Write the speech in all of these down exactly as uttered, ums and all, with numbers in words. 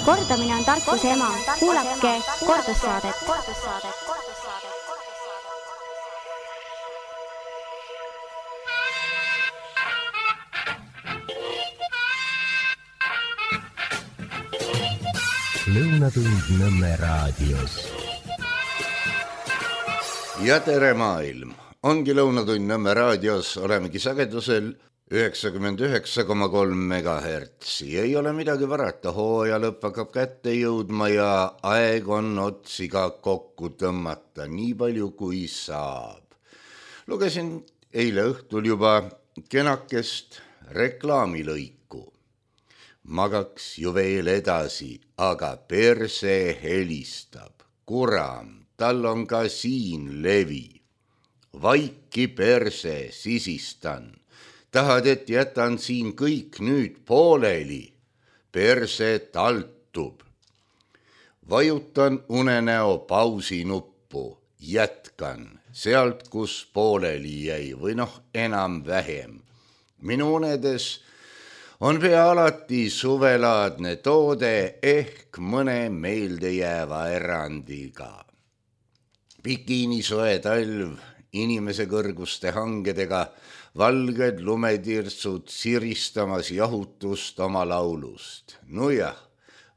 Kordamine on tarkuse ema. Kuulake kordussaadet. Lõunatund Nõmme raadios. Ja tere maailm! Ongi Lõunatund Nõmme raadios, olemegi sagedusel üheksakümmend üheksa koma kolm megahertsi. Ei ole midagi varata, hooaja lõpp hakkab kätte jõudma ja aeg on otsiga kokku tõmmata, nii palju kui saab. Lugesin eile õhtul juba kenakest reklaamilõiku. Magaks ju veel edasi, aga perse helistab. Kuram, tal on ka siin levi. Vaiki perse, sisistan. Tahad, et jätan siin kõik nüüd pooleli. Perse taltub. Vajutan unenäo pausi nuppu. Jätkan sealt, kus pooleli jäi või noh, enam vähem. Minu unedes on pea alati suvelaadne toode ehk mõne meeldejääva erandiga. Bikiinisoe talv inimese kõrguste hangedega, valged lumetirtsud siristamas jahutust oma laulust. Nojah,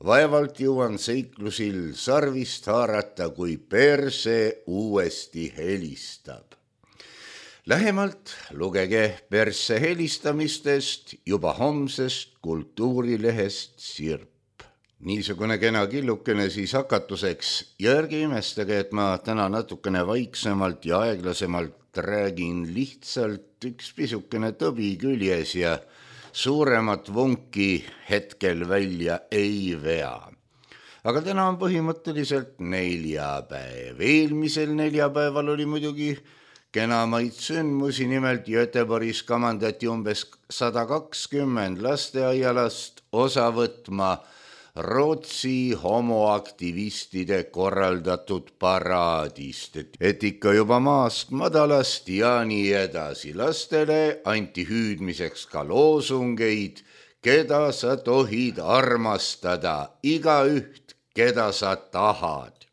vaevalt jõuan seiklusil sarvist haarata, kui perse uuesti helistab. Lähemalt lugege perse helistamistest juba homsest kultuurilehest Sirp. Niisugune kena killukene siis hakatuseks ja ärge imestage, et ma täna natukene vaiksemalt ja aeglasemalt räägin, lihtsalt üks pisukene tõbi küljes ja suuremat vunki hetkel välja ei vea. Aga täna on põhimõtteliselt neljapäev. Eelmisel neljapäeval oli muidugi kenamaid sündmusi, nimelt Göteborgis kamandati umbes sada kakskümmend lasteaialast osa võtma Rootsi homoaktivistide korraldatud paraadist, et ikka juba maast madalast ja nii edasi. Lastele anti hüüdmiseks ka loosungeid, keda sa tohid armastada, igaüht, keda sa tahad.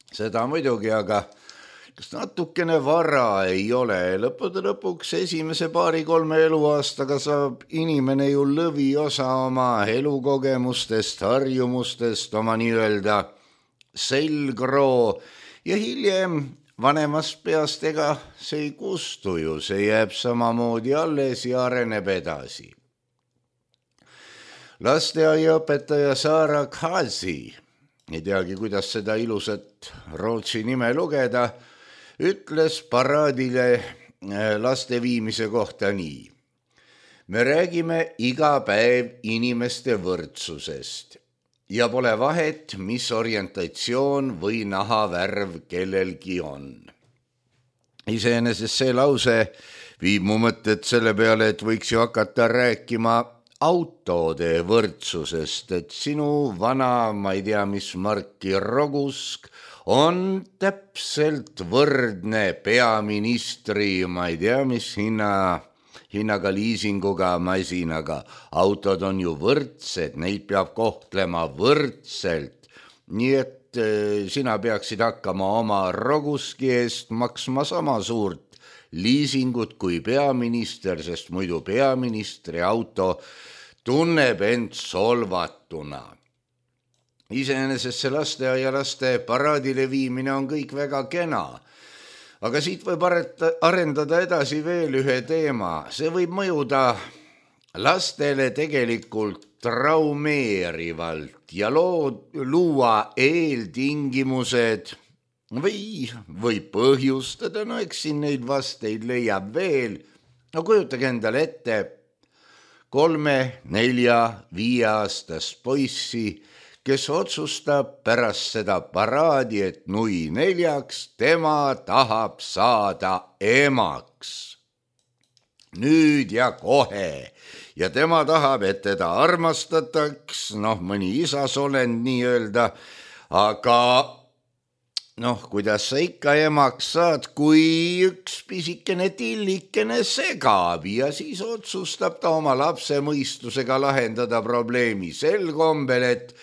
Seda muidugi, aga kas natukene vara ei ole? Lõppude lõpuks esimese paari-kolme eluaastaga saab inimene ju lõviosa oma elukogemustest, harjumustest, oma nii-öelda selgroo ja hiljem vanemast peast ega see ei kustu ju, see jääb samamoodi alles ja areneb edasi. Lasteaiaõpetaja Sara Kasi, ei teagi, kuidas seda ilusat Rootsi nime lugeda, ütles paraadile laste viimise kohta nii. Me räägime iga päev inimeste võrdsusest ja pole vahet, mis orientatsioon või nahavärv kellelgi on. Iseenesest see lause viib mu mõtted selle peale, et võiks ju hakata rääkima autode võrdsusest, et sinu vana, ma ei tea, mis marki Rogusk on täpselt võrdne peaministri, ma ei tea, mis hinna, hinnaga liisinguga masinaga. Autod on ju võrdsed, neid peab kohtlema võrdselt. Nii et e, sina peaksid hakkama oma Roguski eest maksma sama suurt liisingut kui peaminister, sest muidu peaministri auto tunneb end solvatuna. Iseenesest see lasteaialaste paraadile viimine on kõik väga kena, aga siit võib arendada edasi veel ühe teema. See võib mõjuda lastele tegelikult traumeerivalt ja loo, luua eeltingimused või, või põhjustada, no eks siin neid vasteid leiab veel. No kujutage endale ette kolme, nelja, viieaastast poissi, kes otsustab pärast seda paraadi, et nui neljaks tema tahab saada emaks. Nüüd ja kohe. Ja tema tahab, et teda armastataks, noh, mõni isasolend nii öelda, aga noh, kuidas sa ikka emaks saad, kui üks pisikene tillikene segab ja siis otsustab ta oma lapse mõistusega lahendada probleemi sel kombel, et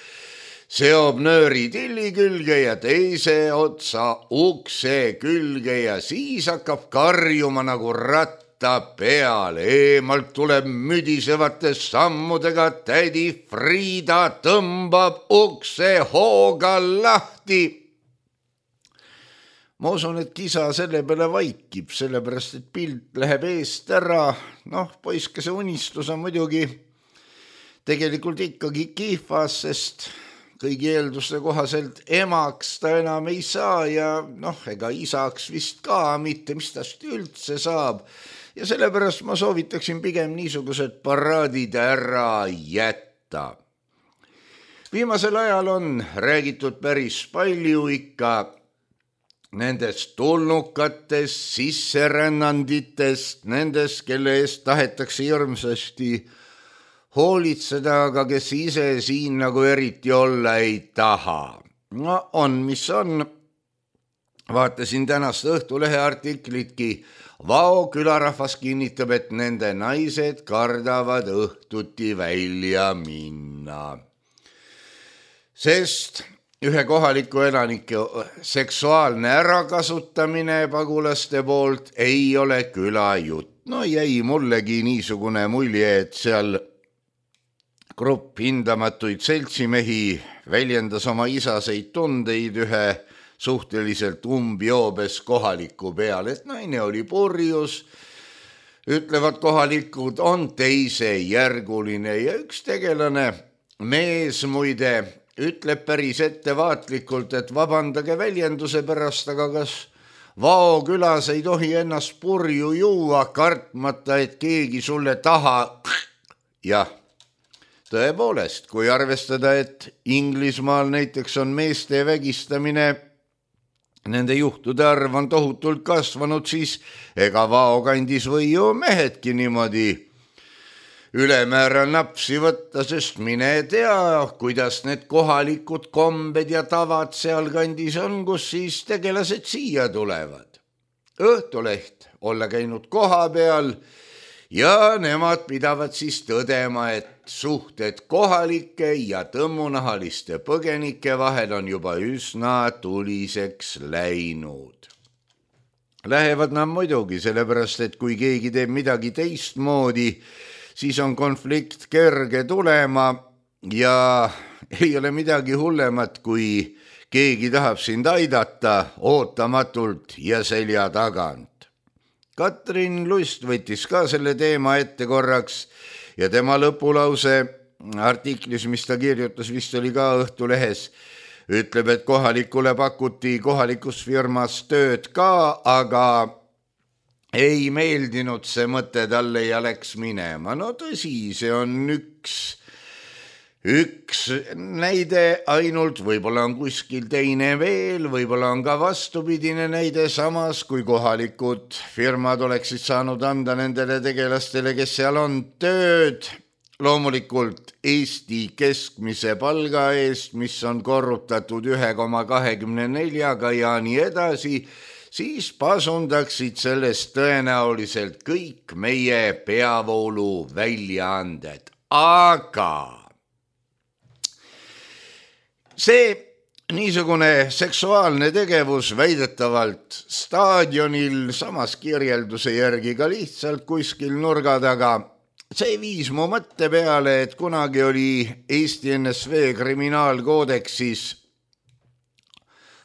seob nööri tilli külge ja teise otsa ukse külge ja siis hakkab karjuma nagu ratta peale. Eemalt tuleb müdisevate sammudega tädi Friida, tõmbab ukse hooga lahti. Ma usun, et kisa selle peale vaikib, sellepärast, et pilt läheb eest ära. Noh, poiskese unistus on muidugi tegelikult ikkagi kihvas, sest kõigi eelduste kohaselt emaks ta enam ei saa ja noh, ega isaks vist ka mitte, mis tast üldse saab. Ja sellepärast ma soovitaksin pigem niisugused paraadid ära jätta. Viimasel ajal on räägitud päris palju ikka nendest tulnukatest, sisserännanditest, nendest, kelle eest tahetakse hirmsasti hoolitseda, aga kes ise siin nagu eriti olla ei taha. No on, mis on. Vaatasin tänast Õhtulehe artiklitki. Vao külarahvas kinnitab, et nende naised kardavad õhtuti välja minna. Sest ühe kohaliku elanike seksuaalne ärakasutamine pagulaste poolt ei ole külajutt. No jäi mullegi niisugune mulje, et seal grupp hindamatuid seltsimehi väljendas oma isaseid tundeid ühe suhteliselt umbjoobes kohaliku peal, et naine oli purjus, ütlevad kohalikud, on teisejärguline ja üks tegelane, mees muide, ütleb päris ettevaatlikult, et vabandage väljenduse pärast, aga kas Vao külas ei tohi ennast purju juua, kartmata, et keegi sulle taha. Jah, tõepoolest, kui arvestada, et Inglismaal näiteks on meeste vägistamine, nende juhtude arv on tohutult kasvanud, siis ega Vao kandis või ju mehedki niimoodi ülemäära napsi võtta, sest mine tea, kuidas need kohalikud kombed ja tavad seal kandis on, kus siis tegelased siia tulevad. Õhtuleht olla käinud koha peal ja nemad pidavad siis tõdema, et suhted kohalike ja tõmmunahaliste põgenike vahel on juba üsna tuliseks läinud. Lähevad nad muidugi, sellepärast, et kui keegi teeb midagi teistmoodi, siis on konflikt kerge tulema ja ei ole midagi hullemat, kui keegi tahab sind aidata ootamatult ja selja tagant. Katrin Lust võttis ka selle teema ette korraks ja tema lõpulause artiklis, mis ta kirjutas, vist oli ka Õhtulehes, ütleb, et kohalikule pakuti kohalikus firmas tööd ka, aga ei meeldinud see mõte talle ja läks minema. No tõsi, see on üks, üks näide ainult, võib-olla on kuskil teine veel, võib-olla on ka vastupidine näide, samas kui kohalikud firmad oleksid saanud anda nendele tegelastele, kes seal on tööd, loomulikult Eesti keskmise palga eest, mis on korrutatud üks koma kakskümmend neli ja nii edasi, siis pasundaksid sellest tõenäoliselt kõik meie peavoolu väljaanded. Aga see niisugune seksuaalne tegevus väidetavalt staadionil, samas kirjelduse järgi ka lihtsalt kuskil nurga taga, see viis mu mõtte peale, et kunagi oli Eesti N S V kriminaalkoodeksis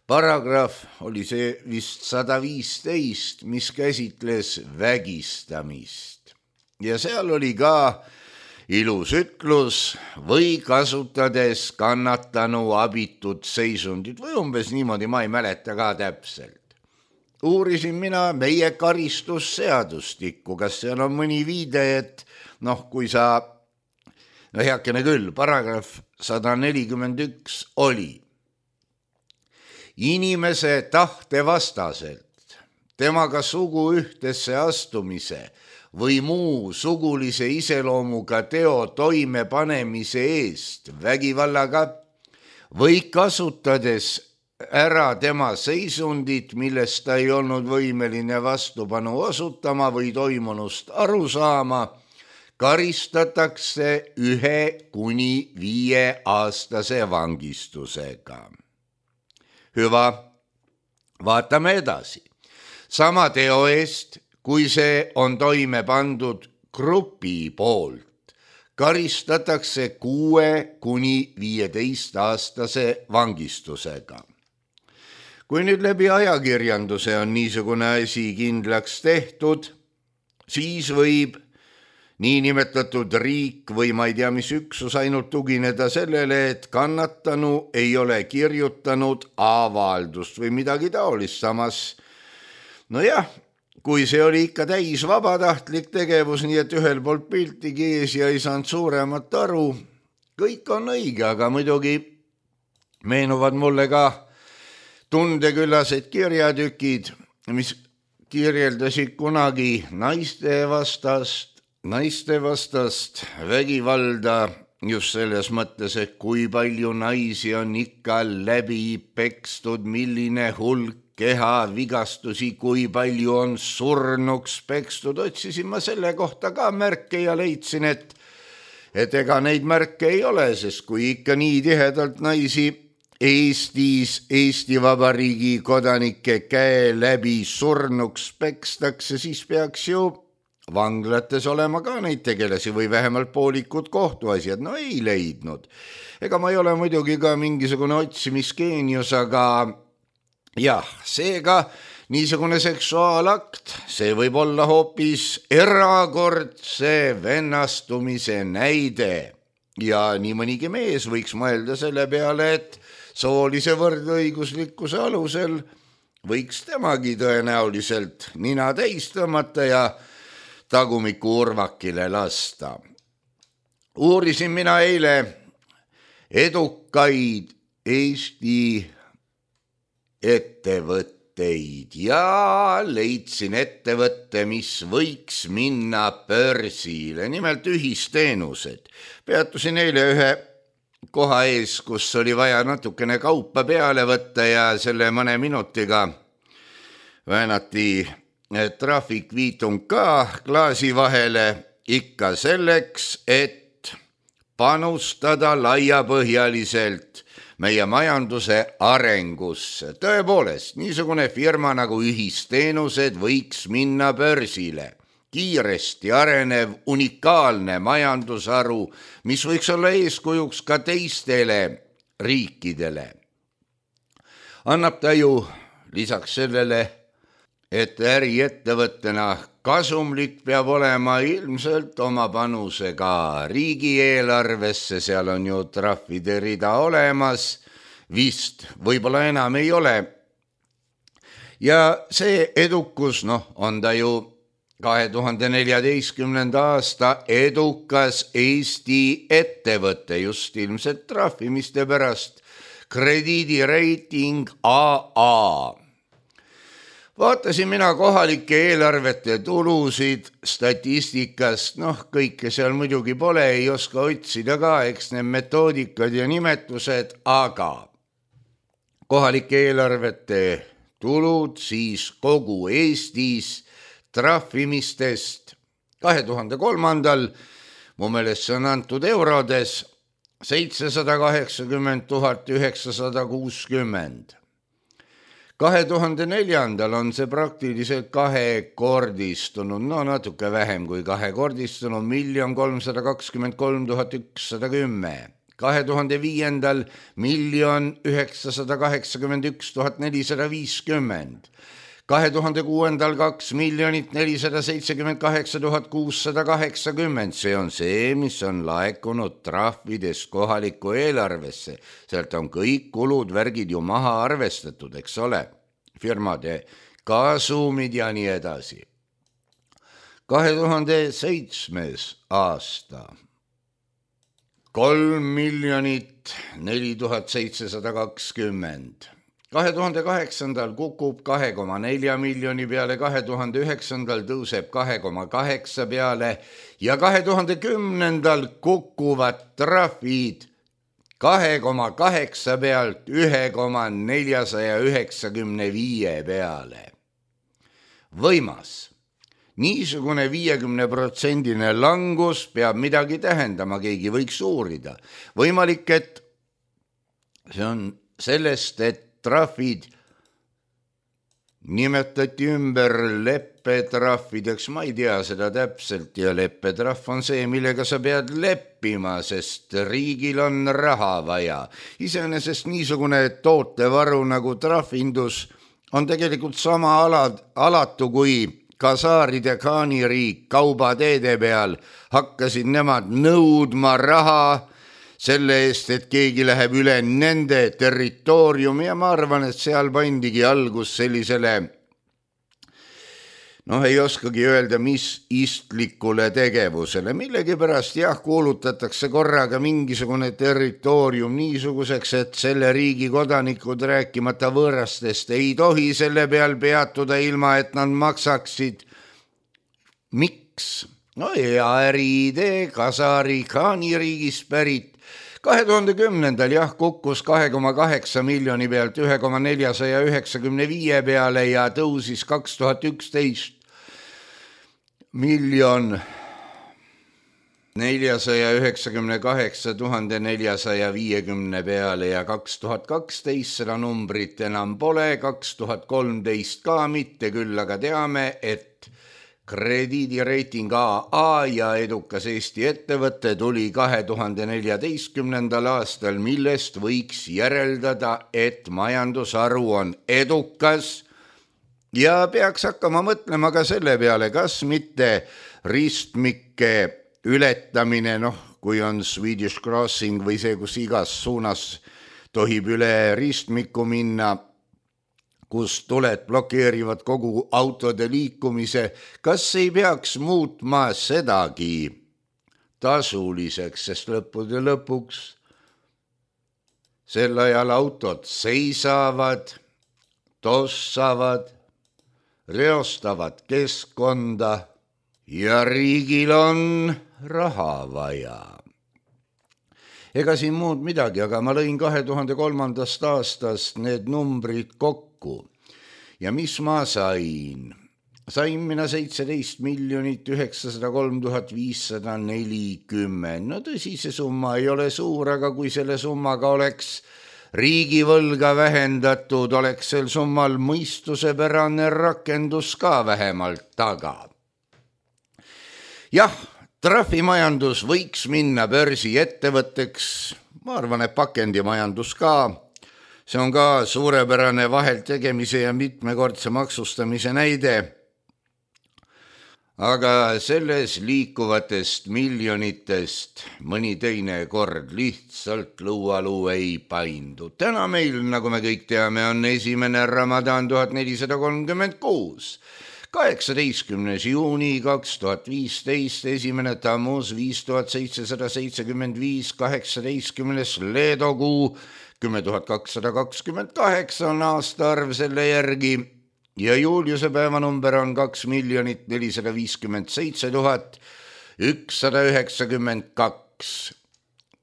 paragrahv, oli see vist sada viisteist, mis käsitles vägistamist. Ja seal oli ka ilus ütlus või kasutades kannatanu abitut seisundit või umbes niimoodi, ma ei mäleta ka täpselt. Uurisin mina meie karistusseadustikku, kas seal on mõni viide, et noh, kui sa, no heakene küll, paragrahv sada nelikümmend üks oli. Inimese tahte vastaselt, temaga sugu ühtesse astumise või muu sugulise iseloomuga teo toimepanemise eest vägivallaga või kasutades ära tema seisundit, millest ta ei olnud võimeline vastupanu osutama või toimunust aru saama, karistatakse ühe kuni viie aastase vangistusega. Hüva, vaatame edasi. Sama teo eest, kui see on toime pandud grupi poolt, karistatakse kuue kuni viieteist aastase vangistusega. Kui nüüd läbi ajakirjanduse on niisugune asi kindlaks tehtud, siis võib niinimetatud riik või ma ei tea, mis üksus ainult tugineda sellele, et kannatanu ei ole kirjutanud avaldust või midagi taolist. Samas, no jah, kui see oli ikka täis vabatahtlik tegevus, nii et ühel poolt piltigi ees ja ei saanud suuremat aru, kõik on õige, aga muidugi meenuvad mulle ka tundeküllased kirjatükid, mis kirjeldasid kunagi naiste vastast, naiste vastast vägivalda just selles mõttes, et kui palju naisi on ikka läbi pekstud, milline hulk keha vigastusi, kui palju on surnuks pekstud. Otsisin ma selle kohta ka märke ja leidsin, et, et ega neid märke ei ole, sest kui ikka nii tihedalt naisi Eestis, Eesti Vabariigi kodanike käe läbi surnuks pekstakse, siis peaks ju vanglates olema ka neid tegelasi või vähemalt poolikud kohtuasjad. No ei leidnud. Ega ma ei ole muidugi ka mingisugune otsimisgeenius, aga jah, seega niisugune seksuaalakt, see võib olla hoopis erakordse vennastumise näide. Ja nii mõnigi mees võiks mõelda selle peale, et soolise võrdõiguslikkuse alusel võiks temagi tõenäoliselt nina täis tõmmata ja tagumiku urvakile lasta. Uurisin mina eile edukaid Eesti ettevõtteid ja leidsin ettevõtte, mis võiks minna börsile, nimelt ühisteenused. Peatusin eile ühe koha ees, kus oli vaja natukene kaupa peale võtta ja selle mõne minutiga väänati trahvikviitung ka klaasi vahele ikka selleks, et panustada laiapõhjaliselt meie majanduse arengusse. Tõepoolest, niisugune firma nagu ühisteenused võiks minna börsile. Kiiresti arenev unikaalne majandusharu, mis võiks olla eeskujuks ka teistele riikidele. Annab ta ju lisaks sellele, et äriettevõttena kasumlik peab olema ilmselt oma panuse ka riigieelarvesse, seal on ju trahvide rida olemas, vist võib-olla enam ei ole. Ja see edukus, noh, on ta ju kahe tuhande neljateistkümnenda aasta edukas Eesti ettevõte just ilmselt trahvimiste pärast, krediidireiting A A. Vaatasin mina kohalike eelarvete tulusid statistikast, noh kõike seal muidugi pole, ei oska otsida ka, eks need metoodikad ja nimetused, aga kohalike eelarvete tulud siis kogu Eestis trahvimistest kahe tuhande kolmandal, mu meelest see on antud eurodes, seitsesada kaheksakümmend tuhat üheksasada kuuskümmend. kahe tuhande neljandal on see praktiliselt kahekordistunud, no natuke vähem kui kahekordistunud, miljon kolmsada kakskümmend kolm tuhat ükssada kümme. kahe tuhande viiendal miljon üheksasada kaheksakümmend üks tuhat nelisada viiskümmend. kahe tuhande kuuendal kaks miljonit nelisada seitsekümmend kaheksa tuhat kuussada kaheksakümmend, see on see, mis on laekunud trahvidest kohalikku eelarvesse. Sealt on kõik kulud, värgid ju maha arvestatud, eks ole, firmade kasumid ja nii edasi. kahe tuhande seitsmes aasta, kolm miljonit neli tuhat seitsesada kakskümmend. kahe tuhande kaheksandal kukub kahe koma nelja miljoni peale, kahe tuhande üheksandal tõuseb kahe koma kaheksa peale ja kahe tuhande kümnendal kukuvad trahvid kahe koma kaheksa pealt ühe koma neljasaja üheksakümne viie peale. Võimas. Niisugune viiekümne protsendine langus peab midagi tähendama, keegi võiks uurida. Võimalik, et see on sellest, et trahvid nimetati ümber leppetrahvideks, ma ei tea seda täpselt ja leppetrahv on see, millega sa pead leppima, sest riigil on raha vaja. Iseenesest niisugune tootevaru nagu trahvindus on tegelikult sama alad, alatu kui kasaaride kaaniriik kaubateede peal. Hakkasid nemad nõudma raha selle eest, et keegi läheb üle nende territooriumi ja ma arvan, et seal pandigi algus sellisele, noh ei oskagi öelda, mis istlikule tegevusele. Millegipärast jah, kuulutatakse korraga mingisugune territoorium niisuguseks, et selle riigi kodanikud rääkimata võõrastest ei tohi selle peal peatuda ilma, et nad maksaksid. Miks? No hea äriidee, kasaari kaaniriigis pärit. kahe tuhande kümnendal jah, kukkus kahe koma kaheksa miljoni pealt ühe koma neljasaja üheksakümne viie peale ja tõusis kaks tuhat üksteist miljon neljasaja üheksakümne kaheksa tuhande neljasaja viiekümne peale ja kaks tuhat kaksteist seda numbrit enam pole, kaks tuhat kolmteist ka mitte, küll aga teame, et krediidireiting A A ja edukas Eesti ettevõte tuli kahe tuhande neljateistkümnendal aastal, millest võiks järeldada, et majandusharu on edukas ja peaks hakkama mõtlema ka selle peale, kas mitte ristmike ületamine, noh, kui on Swedish Crossing või see, kus igas suunas tohib üle ristmiku minna, kus tuled blokeerivad kogu autode liikumise, kas ei peaks muutma sedagi tasuliseks, sest lõppude lõpuks sel ajal autod seisavad, tossavad, reostavad keskkonda ja riigil on raha vaja. Ega siin muud midagi, aga ma lõin kahe tuhande kolmandast aastast need numbrid kokku. Ja mis ma sain? Sain mina seitseteist miljonit üheksasada kolm tuhat viissada nelikümmend. No tõsi, see summa ei ole suur, aga kui selle summaga oleks riigivõlga vähendatud, oleks sel summal mõistusepärane rakendus ka vähemalt taga. Jah, trahvimajandus võiks minna börsi ettevõtteks, ma arvan, et pakendimajandus ka. See on ka suurepärane vahelt tegemise ja mitmekordse maksustamise näide. Aga selles liikuvatest miljonitest mõni teine kord lihtsalt lõualuu ei paindu. Täna meil, nagu me kõik teame, on esimene Ramadan tuhat nelisada kolmkümmend kuus. kaheksateistkümnes juuni kaks tuhat viisteist, esimene Tammuz viis tuhat seitsesada seitsekümmend viis, kaheksateistkümnes Leedokuu kümme tuhat kakssada kakskümmend kaheksa on aastaarv selle järgi ja Juliuse päevanumber on kaks miljonit nelisada viiskümmend seitse tuhat ükssada üheksakümmend kaks.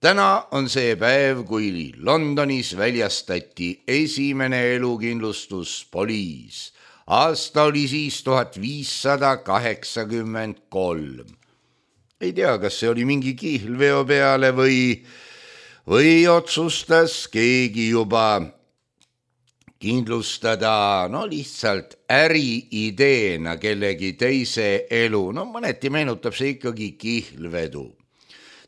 Täna on see päev, kui Londonis väljastati esimene elukindlustuspoliis. Aasta oli siis tuhat viissada kaheksakümmend kolm. Ei tea, kas see oli mingi kihlveo peale või või otsustas keegi juba kindlustada, no lihtsalt äriideena kellegi teise elu. No mõneti meenutab see ikkagi kihlvedu.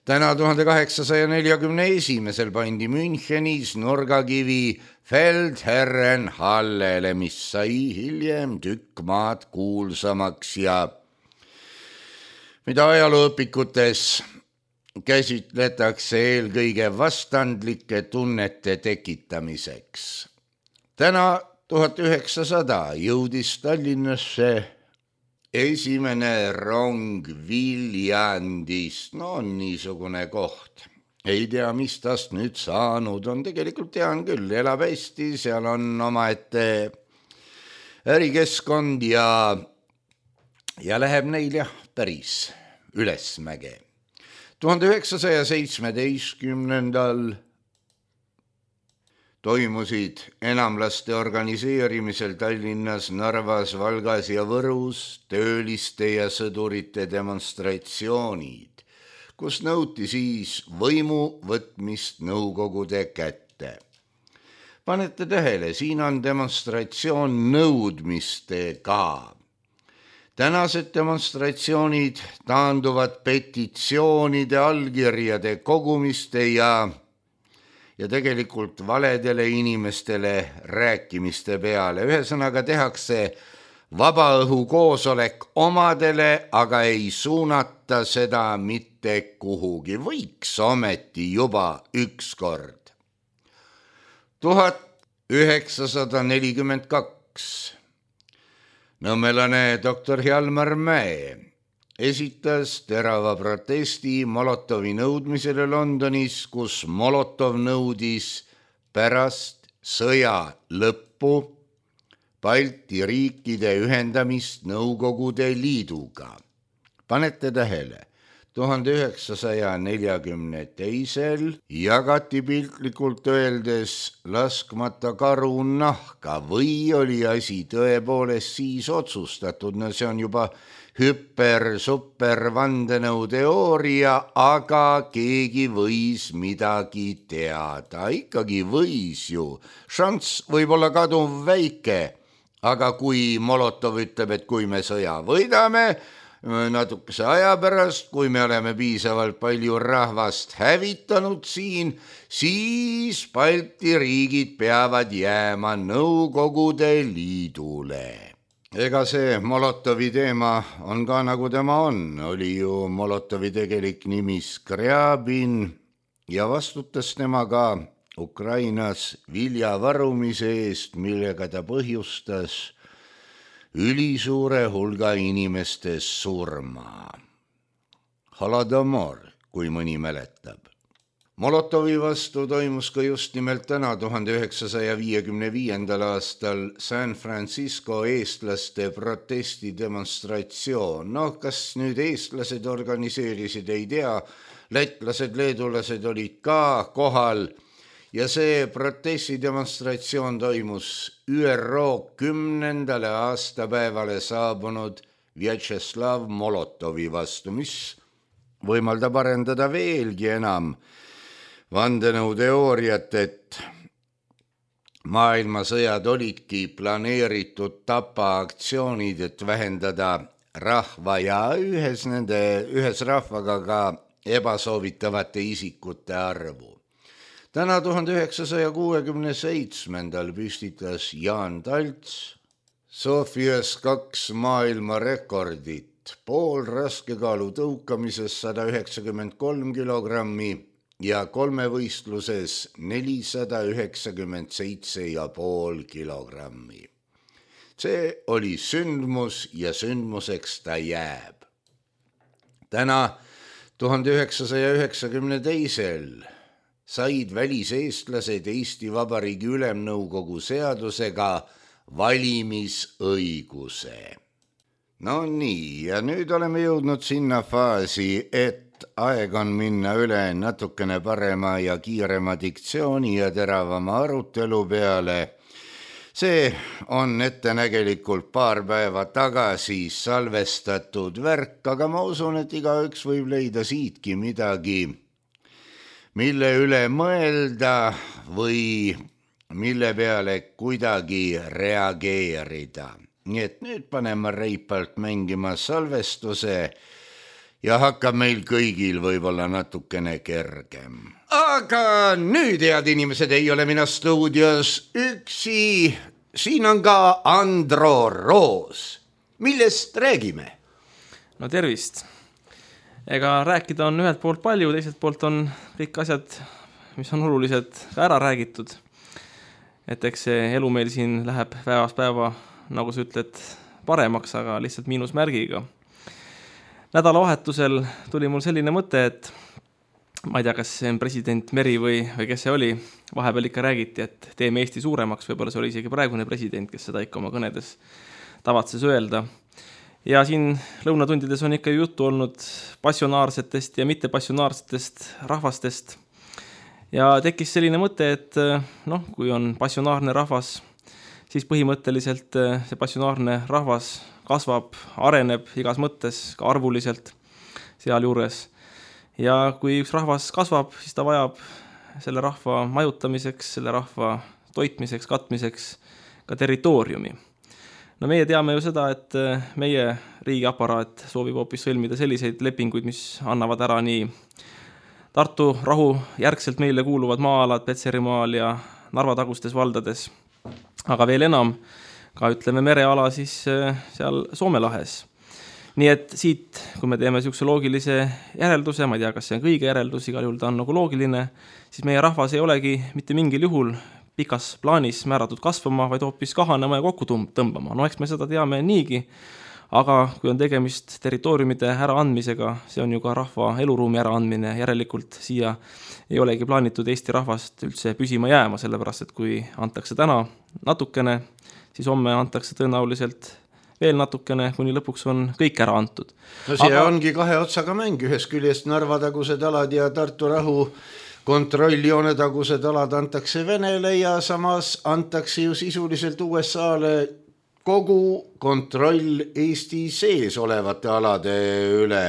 Täna tuhande kaheksasaja neljakümne esimesel pandi Münchenis nurgakivi Feldherrenhallele, mis sai hiljem tükk maad kuulsamaks ja mida ajalooõpikutes käsitletakse eelkõige vastandlike tunnete tekitamiseks. Täna tuhat üheksasada jõudis Tallinnasse esimene rong Viljandist. No on niisugune koht. Ei tea, mis tast nüüd saanud on. Tegelikult tean küll, elab hästi, seal on omaette ärikeskkond ja, ja läheb neil jah päris ülesmäge. tuhande üheksasaja seitsmeteistkümnendal toimusid enamlaste organiseerimisel Tallinnas, Narvas, Valgas ja Võrus tööliste ja sõdurite demonstratsioonid, kus nõuti siis võimu võtmist Nõukogude kätte. Panete tähele, siin on demonstratsioon nõudmistega. Tänased demonstratsioonid taanduvad petitsioonide, allkirjade kogumiste ja ja tegelikult valedele inimestele rääkimiste peale. Ühesõnaga tehakse vabaõhu koosolek omadele, aga ei suunata seda mitte kuhugi. Võiks ometi juba ükskord. tuhat üheksasada nelikümmend kaks. Nõmmelane doktor Hjalmar Mäe esitas terava protesti Molotovi nõudmisele Londonis, kus Molotov nõudis pärast sõja lõppu Balti riikide ühendamist Nõukogude Liiduga. Panete tähele, tuhande üheksasaja neljakümne teisel jagati piltlikult öeldes laskmata karu nahka või oli asi tõepoolest siis otsustatud, no see on juba hüper-super vandenõuteooria, aga keegi võis midagi teada, ikkagi võis ju. Šanss võib olla kaduv väike, aga kui Molotov ütleb, et kui me sõja võidame, natukese aja pärast, kui me oleme piisavalt palju rahvast hävitanud siin, siis Balti riigid peavad jääma Nõukogude Liidule. Ega see Molotovi teema on ka nagu tema on, oli ju Molotovi tegelik nimi Skriabin ja vastutas tema ka Ukrainas viljavarumise eest, millega ta põhjustas ülisuure hulga inimeste surma. Holodomor, kui mõni mäletab. Molotovi vastu toimus ka just nimelt täna tuhande üheksasaja viiekümne viiendal aastal San Francisco eestlaste protestidemonstratsioon. No kas nüüd eestlased organiseerisid, ei tea, lätlased, leedulased olid ka kohal ja see protestidemonstratsioon toimus Ü R O kümnendale aastapäevale saabunud Vjatšeslav Molotovi vastu, mis võimaldab arendada veelgi enam vandenõuteooriat, et maailmasõjad olidki planeeritud tapaaktsioonid, et vähendada rahva ja ühes, nende, ühes rahvaga ka ebasoovitavate isikute arvu. Täna tuhande üheksasaja kuuekümne seitsmendal püstitas Jaan Talts Sofias kaks maailma rekordit, pool raskekaalu tõukamises sada üheksakümmend kolm kilogrammi ja kolmevõistluses nelisada üheksakümmend seitse ja pool kilogrammi. See oli sündmus ja sündmuseks ta jääb. Täna tuhande üheksasaja üheksakümne teisel said väliseestlased Eesti Vabariigi Ülemnõukogu seadusega valimisõiguse. No nii, ja nüüd oleme jõudnud sinna faasi, et aeg on minna üle natukene parema ja kiirema diktsiooni ja teravama arutelu peale. See on ettenägelikult paar päeva tagasi salvestatud värk, aga ma usun, et igaüks võib leida siitki midagi, mille üle mõelda või mille peale kuidagi reageerida. Nii et nüüd paneme reipalt mängima salvestuse ja hakkab meil kõigil võib-olla natukene kergem. Aga nüüd, head inimesed, ei ole mina stuudios üksi. Siin on ka Andro Roos. Millest räägime? No tervist. Ega rääkida on ühelt poolt palju, teiselt poolt on kõik asjad, mis on olulised, ka ära räägitud. Et eks see elu meil siin läheb päevast päeva, nagu sa ütled, paremaks, aga lihtsalt miinusmärgiga. Nädalavahetusel tuli mul selline mõte, et ma ei tea, kas see on president Meri või, või kes see oli, vahepeal ikka räägiti, et teeme Eesti suuremaks, võib-olla see oli isegi praegune president, kes seda ikka oma kõnedes tavatses öelda. Ja siin lõunatundides on ikka juttu olnud passionaarsetest ja mittepassionaarsetest rahvastest. ja tekkis selline mõte, et noh, kui on passionaarne rahvas, siis põhimõtteliselt see passionaarne rahvas kasvab, areneb igas mõttes, ka arvuliselt seal juures. Ja kui üks rahvas kasvab, siis ta vajab selle rahva majutamiseks, selle rahva toitmiseks, katmiseks ka territooriumi. No meie teame ju seda, et meie riigiaparaat soovib hoopis sõlmida selliseid lepinguid, mis annavad ära nii Tartu rahu järgselt meile kuuluvad maa-alad Petserimaal ja Narva tagustes valdades, aga veel enam ka ütleme mereala siis seal Soome lahes. Nii et siit, kui me teeme niisuguse loogilise järelduse, ma ei tea, kas see on kõige järeldus, igal juhul ta on nagu loogiline, siis meie rahvas ei olegi mitte mingil juhul pikas plaanis määratud kasvama, vaid hoopis kahanema ja kokku tõmbama. No eks me seda teame niigi, aga kui on tegemist territooriumide äraandmisega, see on ju ka rahva eluruumi äraandmine, järelikult siia ei olegi plaanitud Eesti rahvast üldse püsima jääma, sellepärast et kui antakse täna natukene, siis homme antakse tõenäoliselt veel natukene, kuni lõpuks on kõik ära antud. No see aga... ongi kahe otsaga mäng, ühest küljest Narva tagused alad ja Tartu rahu kontrolljoone tagused alad antakse Venele ja samas antakse ju sisuliselt U S A-le kogu kontroll Eesti sees olevate alade üle.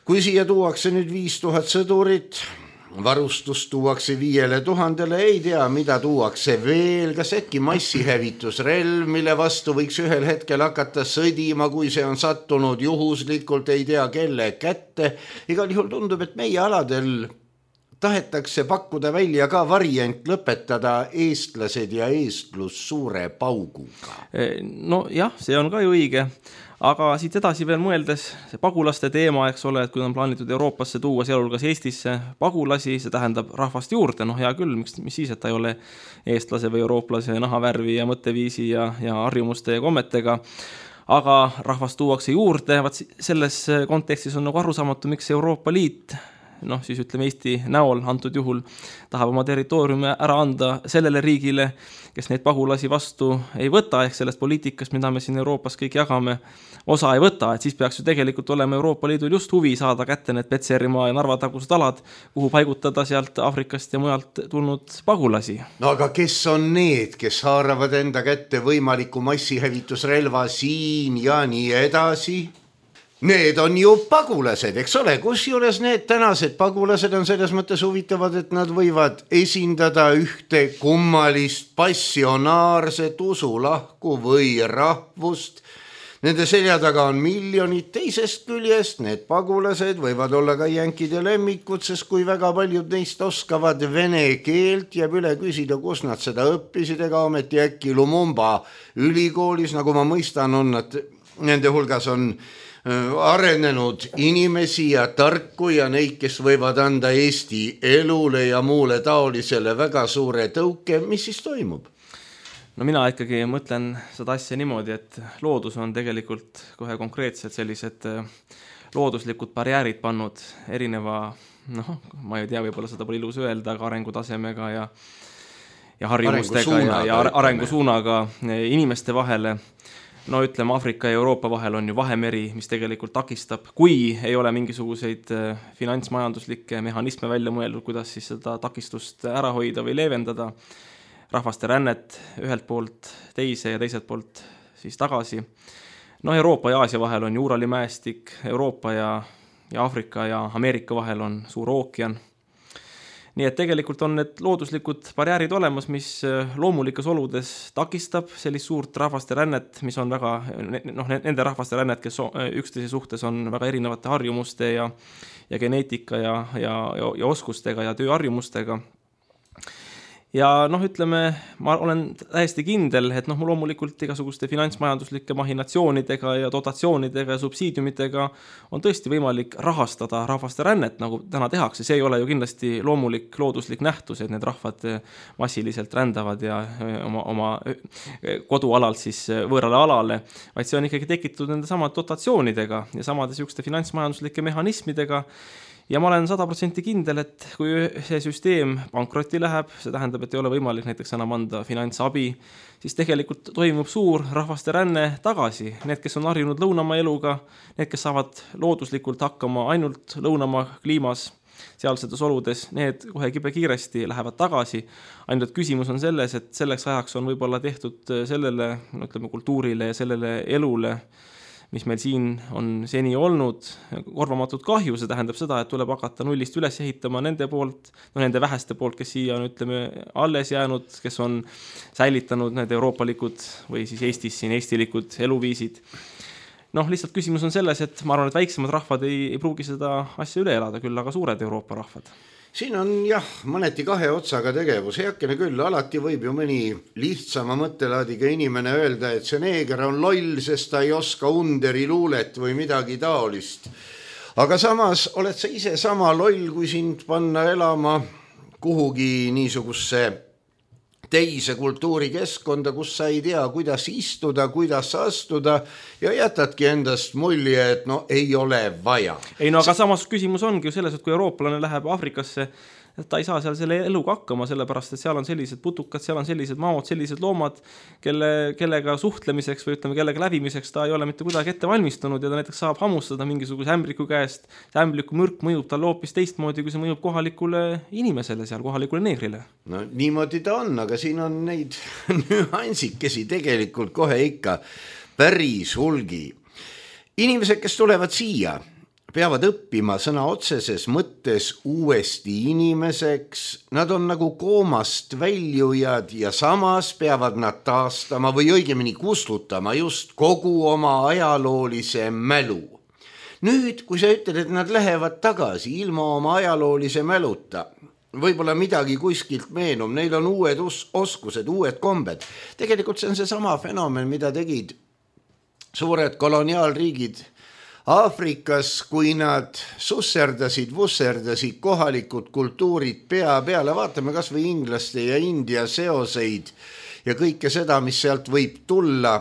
Kui siia tuuakse nüüd viis tuhat sõdurit, varustus tuuakse viiele tuhandele, ei tea, mida tuuakse veel, kas äkki massihävitusrelv, mille vastu võiks ühel hetkel hakata sõdima, kui see on sattunud juhuslikult, ei tea kelle kätte. Igal juhul tundub, et meie aladel tahetakse pakkuda välja ka variant lõpetada eestlased ja eestlus suure pauguga. No jah, see on ka ju õige, aga siit edasi veel mõeldes, see pagulaste teema, eks ole, et kui on plaanitud Euroopasse tuua, sealhulgas Eestisse pagulasi, see tähendab rahvast juurde, noh hea küll, miks, mis siis, et ta ei ole eestlase või eurooplase nahavärvi ja mõtteviisi ja, ja harjumuste ja kommetega, aga rahvast tuuakse juurde, vaat selles kontekstis on nagu arusaamatu, miks Euroopa Liit noh, siis ütleme Eesti näol antud juhul tahab oma territooriumi ära anda sellele riigile, kes neid pagulasi vastu ei võta, ehk sellest poliitikast, mida me siin Euroopas kõik jagame, osa ei võta, et siis peaks ju tegelikult olema Euroopa Liidul just huvi saada kätte need Petserimaa ja Narva tagused alad, kuhu paigutada sealt Afrikast ja mujalt tulnud pagulasi. No aga kes on need, kes haaravad enda kätte võimaliku massihävitusrelva siin ja nii edasi? Need on ju pagulased, eks ole, kusjuures need tänased pagulased on selles mõttes huvitavad, et nad võivad esindada ühte kummalist passionaarset usulahku või rahvust. Nende selja taga on miljonid, teisest küljest need pagulased võivad olla ka jänkide lemmikud, sest kui väga paljud neist oskavad vene keelt, jääb üle küsida, kus nad seda õppisid, ega ometi äkki Lumumba ülikoolis, nagu ma mõistan, on nad, nende hulgas on arenenud inimesi ja tarku ja neid, kes võivad anda Eesti elule ja muule taolisele väga suure tõuke, mis siis toimub? No mina ikkagi mõtlen seda asja niimoodi, et loodus on tegelikult kohe konkreetselt sellised looduslikud barjäärid pannud erineva, noh, ma ei tea, võib-olla seda pole ilus öelda, aga arengutasemega ja, ja harjumustega ja, ja arengusuunaga inimeste vahele. No ütleme, Afrika ja Euroopa vahel on ju vahemeri, mis tegelikult takistab, kui ei ole mingisuguseid finantsmajanduslikke mehhanisme välja mõeldud, kuidas siis seda takistust ära hoida või leevendada, rahvaste rännet ühelt poolt teise ja teiselt poolt siis tagasi. No Euroopa ja Aasia vahel on Uurali mäestik, Euroopa ja, ja Afrika ja Ameerika vahel on suur ookean. Nii et tegelikult on need looduslikud barjäärid olemas, mis loomulikas oludes takistab sellist suurt rahvaste rännet, mis on väga, noh, nende rahvaste rännet, kes üksteise suhtes on väga erinevate harjumuste ja, ja geneetika ja, ja, ja oskustega ja tööharjumustega. Ja noh, ütleme, ma olen täiesti kindel, et noh, loomulikult igasuguste finantsmajanduslike mahinatsioonidega ja dotatsioonidega ja subsiidiumitega on tõesti võimalik rahastada rahvaste rännet, nagu täna tehakse. See ei ole ju kindlasti loomulik looduslik nähtus, et need rahvad massiliselt rändavad ja oma, oma kodualalt siis võõrale alale, vaid see on ikkagi tekitatud nende samad dotatsioonidega ja samade sihukeste finantsmajanduslike mehhanismidega. Ja ma olen sada protsenti kindel, et kui see süsteem pankrotti läheb, see tähendab, et ei ole võimalik näiteks enam anda finantsabi, siis tegelikult toimub suur rahvaste ränne tagasi. Need, kes on harjunud lõunamaa eluga, need, kes saavad looduslikult hakkama ainult lõunamaa kliimas, sealsetes oludes, need kohe kibe kiiresti lähevad tagasi. Ainult küsimus on selles, et selleks ajaks on võib-olla tehtud sellele, no ütleme, kultuurile ja sellele elule, mis meil siin on seni olnud, korvamatut kahju, see tähendab seda, et tuleb hakata nullist üles ehitama nende poolt, no nende väheste poolt, kes siia on, ütleme, alles jäänud, kes on säilitanud need euroopalikud või siis Eestis siin eestilikud eluviisid. Noh, lihtsalt küsimus on selles, et ma arvan, et väiksemad rahvad ei, ei pruugi seda asja üle elada, küll aga suured Euroopa rahvad. Siin on jah, mõneti kahe otsaga tegevus, heakene küll, alati võib ju mõni lihtsama mõttelaadiga inimene öelda, et see neeger on loll, sest ta ei oska underi luulet või midagi taolist. Aga samas oled sa ise sama loll, kui sind panna elama kuhugi niisugusse teise kultuurikeskkonda, kus sa ei tea, kuidas istuda, kuidas astuda ja jätadki endast mulje, et no ei ole vaja. Ei no aga samas küsimus ongi ju selles, et kui eurooplane läheb Afrikasse, ta ei saa seal selle eluga hakkama, sellepärast, et seal on sellised putukad, seal on sellised maod, sellised loomad, kelle, kellega suhtlemiseks või ütleme, kellega läbimiseks ta ei ole mitte kuidagi ette valmistunud ja ta näiteks saab hammustada mingisuguse ämbliku käest. See ämbliku mõrk mõjub tal hoopis teistmoodi, kui see mõjub kohalikule inimesele seal, kohalikule neegrile. No niimoodi ta on, aga siin on neid nüansikesi tegelikult kohe ikka päris hulgi. Inimesed, kes tulevad siia, peavad õppima sõna otseses mõttes uuesti inimeseks. Nad on nagu koomast väljujad ja samas peavad nad taastama või õigemini kustutama just kogu oma ajaloolise mälu. Nüüd, kui sa ütled, et nad lähevad tagasi ilma oma ajaloolise mäluta, võib-olla midagi kuskilt meenub, neil on uued oskused, uued kombed. Tegelikult see on see sama fenomen, mida tegid suured koloniaalriigid Aafrikas, kui nad susserdasid, vusserdasid kohalikud kultuurid pea peale, vaatame kas või inglaste ja India seoseid ja kõike seda, mis sealt võib tulla.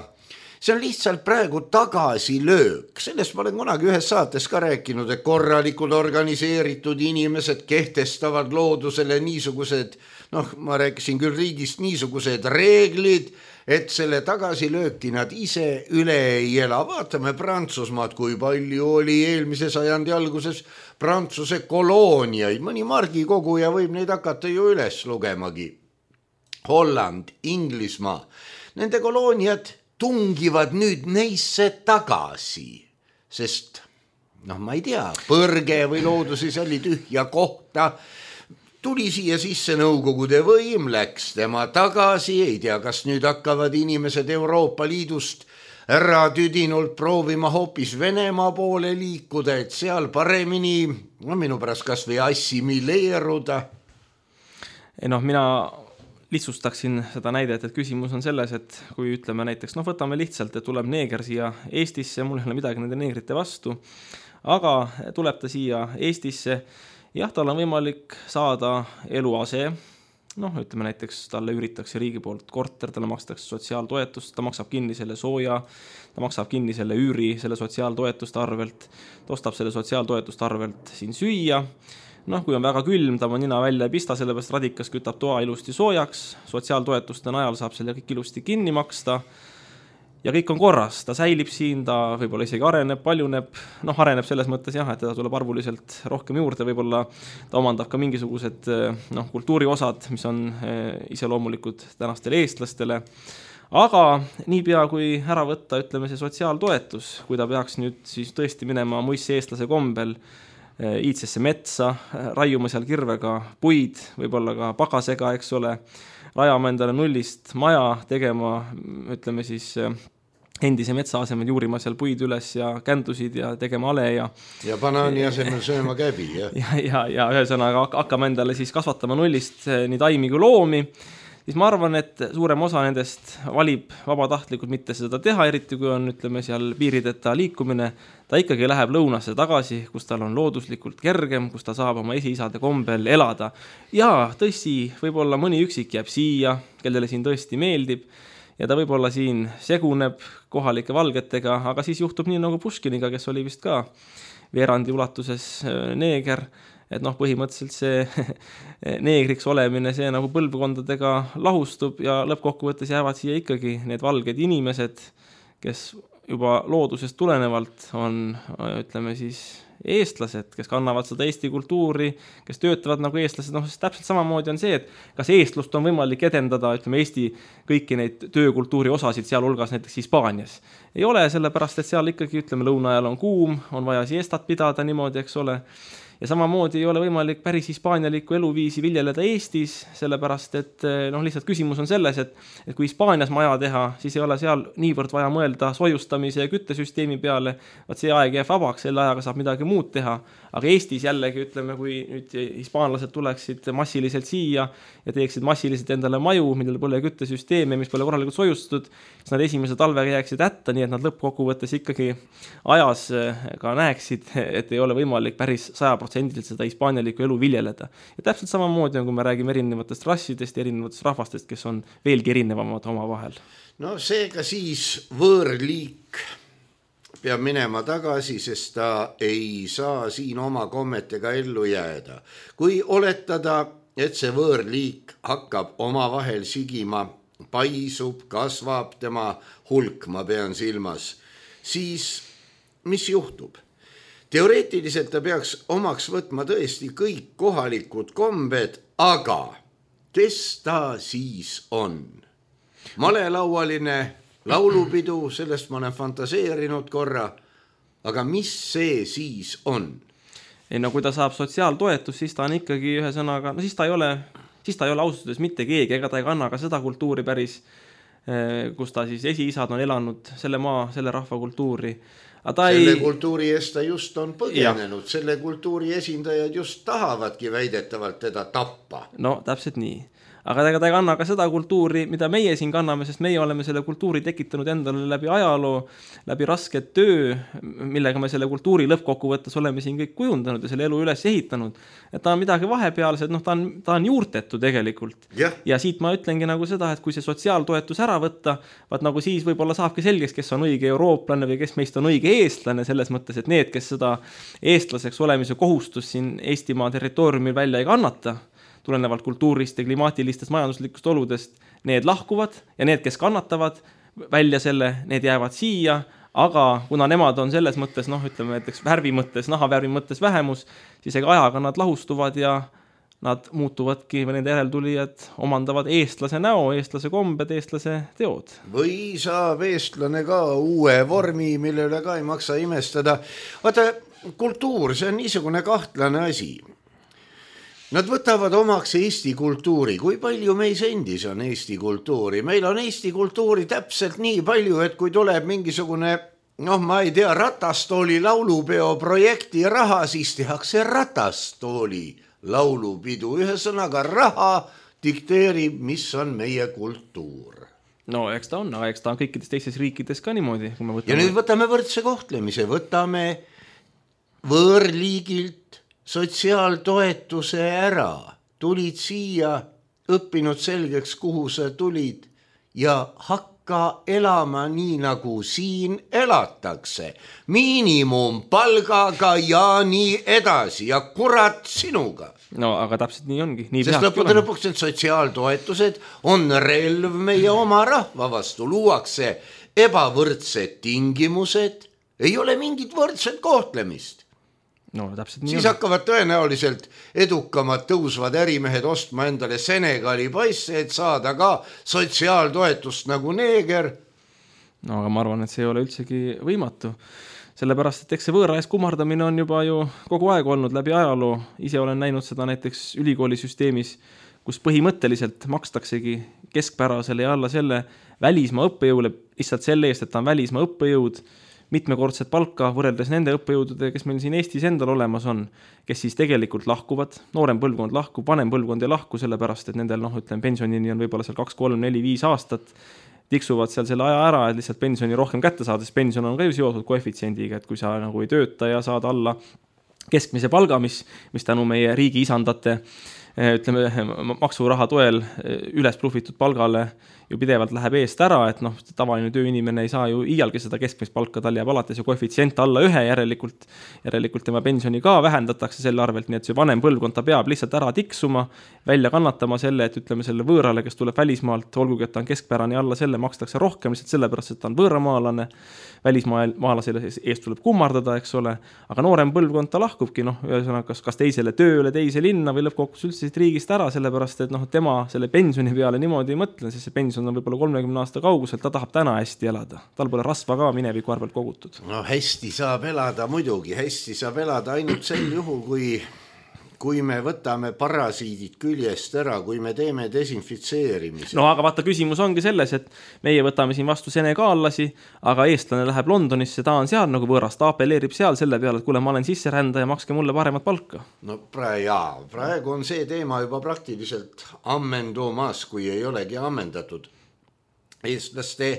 See on lihtsalt praegu tagasilöök. Sellest ma olen kunagi ühes saates ka rääkinud, et korralikud organiseeritud inimesed kehtestavad loodusele niisugused, noh, ma rääkisin küll riigist niisugused reeglid, et selle tagasilööki nad ise üle ei ela. Vaatame Prantsusmaad, kui palju oli eelmise sajandi alguses Prantsuse kolooniaid. Mõni margikoguja võib neid hakata ju üles lugemagi. Holland, Inglismaa. Nende kolooniad tungivad nüüd neisse tagasi, sest, noh, ma ei tea, põrge või looduses oli tühja kohta, tuli siia sisse Nõukogude võim, läks tema tagasi, ei tea, kas nüüd hakkavad inimesed Euroopa Liidust ära tüdinult proovima hoopis Venemaa poole liikuda, et seal paremini, no minu pärast kas või assimileeruda. Ei noh, mina lihtsustaksin seda näidet, et küsimus on selles, et kui ütleme näiteks, noh võtame lihtsalt, et tuleb neeger siia Eestisse, mul ei ole midagi nende neegrite vastu, aga tuleb ta siia Eestisse, jah, tal on võimalik saada eluase, noh ütleme näiteks talle üüritakse riigi poolt korter, talle makstakse sotsiaaltoetust, ta maksab kinni selle sooja, ta maksab kinni selle üüri, selle sotsiaaltoetuste arvelt, ta ostab selle sotsiaaltoetuste arvelt siin süüa. Noh, kui on väga külm, ta on nina välja ei pista, sellepärast radikas kütab toa ilusti soojaks, sotsiaaltoetuste najal saab selle kõik ilusti kinni maksta ja kõik on korras, ta säilib siin, ta võib-olla isegi areneb, paljuneb, noh areneb selles mõttes jah, et ta tuleb arvuliselt rohkem juurde, võib-olla ta omandab ka mingisugused noh, kultuuriosad, mis on iseloomulikud tänastele eestlastele, aga niipea kui ära võtta, ütleme see sotsiaaltoetus, kui ta peaks nüüd siis tõesti minema muisse eestlase kombel iidsesse metsa, raiuma seal kirvega puid, võib-olla ka pagasega, eks ole, rajama endale nullist maja, tegema, ütleme siis, endise metsa asemel juurima seal puid üles ja kändusid ja tegema ale ja ja banaani asemel sööma käbi, jah. ja, ja, ja ühesõnaga hakkama endale siis kasvatama nullist nii taimi kui loomi, siis ma arvan, et suurem osa nendest valib vabatahtlikult mitte seda teha, eriti kui on, ütleme, seal piirideta liikumine, ta ikkagi läheb lõunasse tagasi, kus tal on looduslikult kergem, kus ta saab oma esiisade kombel elada. Ja tõsi, võib-olla mõni üksik jääb siia, kellele siin tõesti meeldib, ja ta võib-olla siin seguneb kohalike valgetega, aga siis juhtub nii nagu Puškiniga, kes oli vist ka veerandi ulatuses neeger, et noh, põhimõtteliselt see neegriks olemine, see nagu põlvkondadega lahustub ja lõppkokkuvõttes jäävad siia ikkagi need valged inimesed, kes juba loodusest tulenevalt on, ütleme siis, eestlased, kes kannavad seda Eesti kultuuri, kes töötavad nagu eestlased, noh, täpselt samamoodi on see, et kas eestlust on võimalik edendada, ütleme, Eesti kõiki neid töökultuuri osasid, sealhulgas näiteks Hispaanias. Ei ole, sellepärast, et seal ikkagi, ütleme, lõunaajal on kuum, on vaja siestat pidada niimoodi, eks ole. Ja samamoodi ei ole võimalik päris hispaanialikku eluviisi viljeleda Eestis, sellepärast, et noh, lihtsalt küsimus on selles, et, et kui Hispaanias maja teha, siis ei ole seal niivõrd vaja mõelda sojustamise ja küttesüsteemi peale, vaat see aeg jääb vabaks, selle ajaga saab midagi muud teha. Aga Eestis jällegi, ütleme, kui nüüd hispaanlased tuleksid massiliselt siia ja teeksid massiliselt endale maju, millel pole küttesüsteemi, mis pole korralikult sojustatud, siis nad esimese talvega jääksid hätta, nii et nad lõppkokkuvõttes ikkagi ajas ka näeksid, et ei ole võimalik päris saja protsendiliselt seda hispaanialikku elu viljeleda. Ja täpselt samamoodi on, kui me räägime erinevatest rassidest ja erinevatest rahvastest, kes on veelgi erinevamad oma vahel. No seega siis võõrliik peab minema tagasi, sest ta ei saa siin oma kommetega ellu jääda. Kui oletada, et see võõrliik hakkab omavahel sigima, paisub, kasvab tema hulk, ma pean silmas, siis mis juhtub? Teoreetiliselt ta peaks omaks võtma tõesti kõik kohalikud kombed, aga kes ta siis on? Malelaualine laulupidu, sellest ma olen fantaseerinud korra, aga mis see siis on? Ei, no kui ta saab sotsiaaltoetust, siis ta on ikkagi ühe sõnaga, no siis ta ei ole, siis ta ei ole ausustades mitte keegi, ega ta ei kanna ka seda kultuuri päris, kus ta siis esiisad on elanud selle maa, selle rahva kultuuri. Ta selle ei... kultuuri eest ta just on põgenenud, ja. Selle kultuuri esindajad just tahavadki väidetavalt teda tappa. No täpselt nii. Aga ega ta ei kanna ka seda kultuuri, mida meie siin kanname, sest meie oleme selle kultuuri tekitanud endale läbi ajaloo, läbi rasket töö, millega me selle kultuuri lõppkokkuvõttes oleme siin kõik kujundanud ja selle elu üles ehitanud. Et ta on midagi vahepealsed, noh, ta on, ta on juurtetu tegelikult. Ja. ja siit ma ütlengi nagu seda, et kui see sotsiaaltoetus ära võtta, vaat nagu siis võib-olla saabki selgeks, kes on õige eurooplane või kes meist on õige eestlane selles mõttes, et need, kes seda eestlaseks olemise kohustust siin Eestimaa territooriumil välja ei kannata, tulenevalt kultuurist ja klimaatilistest majanduslikust oludest, need lahkuvad ja need, kes kannatavad välja selle, need jäävad siia, aga kuna nemad on selles mõttes, noh, ütleme näiteks värvi mõttes, nahavärvi mõttes vähemus, siis ega ajaga nad lahustuvad ja nad muutuvadki, või nende järeltulijad omandavad eestlase näo, eestlase kombed, eestlase teod. Või saab eestlane ka uue vormi, mille üle ka ei maksa imestada. Vaata, kultuur, see on niisugune kahtlane asi. Nad võtavad omaks Eesti kultuuri. Kui palju meis endis on Eesti kultuuri? Meil on Eesti kultuuri täpselt nii palju, et kui tuleb mingisugune, noh, ma ei tea, ratastooli laulupeo projekti raha, siis tehakse ratastooli laulupidu. Ühe sõnaga raha dikteerib, mis on meie kultuur. No eks ta on, aga eks ta on kõikides teistes riikides ka niimoodi. Kui me võtame... Ja nüüd võtame võrdse kohtlemise, võtame võõrliigilt sotsiaaltoetuse ära, tulid siia, õppinud selgeks, kuhu sa tulid ja hakka elama nii, nagu siin elatakse. Miinimumpalgaga ja nii edasi ja kurat sinuga. No aga täpselt nii ongi. Nii Sest lõpude lõpuks need sotsiaaltoetused on relv meie oma rahva vastu. Luuakse ebavõrdsed tingimused, ei ole mingit võrdset kohtlemist. No, nii siis on. Hakkavad tõenäoliselt edukamad tõusvad ärimehed ostma endale Senegali paisse, et saada ka sotsiaaltoetust nagu neeger. No aga ma arvan, et see ei ole üldsegi võimatu. Sellepärast, et eks see võõra ees kummardamine on juba ju kogu aeg olnud läbi ajaloo. Ise olen näinud seda näiteks ülikoolisüsteemis, kus põhimõtteliselt makstaksegi keskpärasele ja alla selle välismaa õppejõule lihtsalt selle eest, et ta on välismaa õppejõud, mitmekordset palka võrreldes nende õppejõudude, kes meil siin Eestis endal olemas on, kes siis tegelikult lahkuvad, noorem põlvkond lahku, vanem põlvkond ei lahku, sellepärast, et nendel, noh, ütlen, pensionini on võib-olla seal kaks, kolm, neli, viis aastat, tiksuvad seal selle aja ära, et lihtsalt pensioni rohkem kätte saada, sest pension on ka ju seotud koefitsiendiga, et kui sa nagu ei tööta ja saad alla keskmise palga, mis, mis tänu meie riigi isandate ütleme, maksuraha toel üles blufitud palgale ju pidevalt läheb eest ära, et noh, tavaline tööinimene ei saa ju iialgi seda keskmist palka, tal jääb alates ju koefitsient alla ühe, järelikult, järelikult tema pensioni ka vähendatakse selle arvelt, nii et see vanem põlvkond ta peab lihtsalt ära tiksuma, välja kannatama selle, et ütleme selle võõrale, kes tuleb välismaalt, olgugi, et ta on keskpärane alla selle, makstakse rohkem, lihtsalt sellepärast, et ta on võõramaalane, välismaalasele eest tuleb kummardada, eks ole, aga noorem põlvkond ta lahkubki, noh, kas, kas teisele tööle, teise linna või lõppkokkuvõttes üldse siit riigist ära, sellepärast, et noh, tema selle pensioni peale niimoodi ei mõtle, sest see pension on võib-olla kolmekümne aasta kauguselt, ta tahab täna hästi elada. Tal pole rasva ka mineviku arvelt kogutud. No hästi saab elada muidugi, hästi saab elada ainult sel juhul, kui kui me võtame parasiidid küljest ära, kui me teeme desinfitseerimise. No aga vaata, küsimus ongi selles, et meie võtame siin vastu senegaallasi, aga eestlane läheb Londonisse, ta on seal nagu võõras, ta apelleerib seal selle peale, et kuule, ma olen sisserändaja, makske mulle paremat palka. No praegu, jaa, praegu on see teema juba praktiliselt ammendumas, kui ei olegi ammendatud. Eestlaste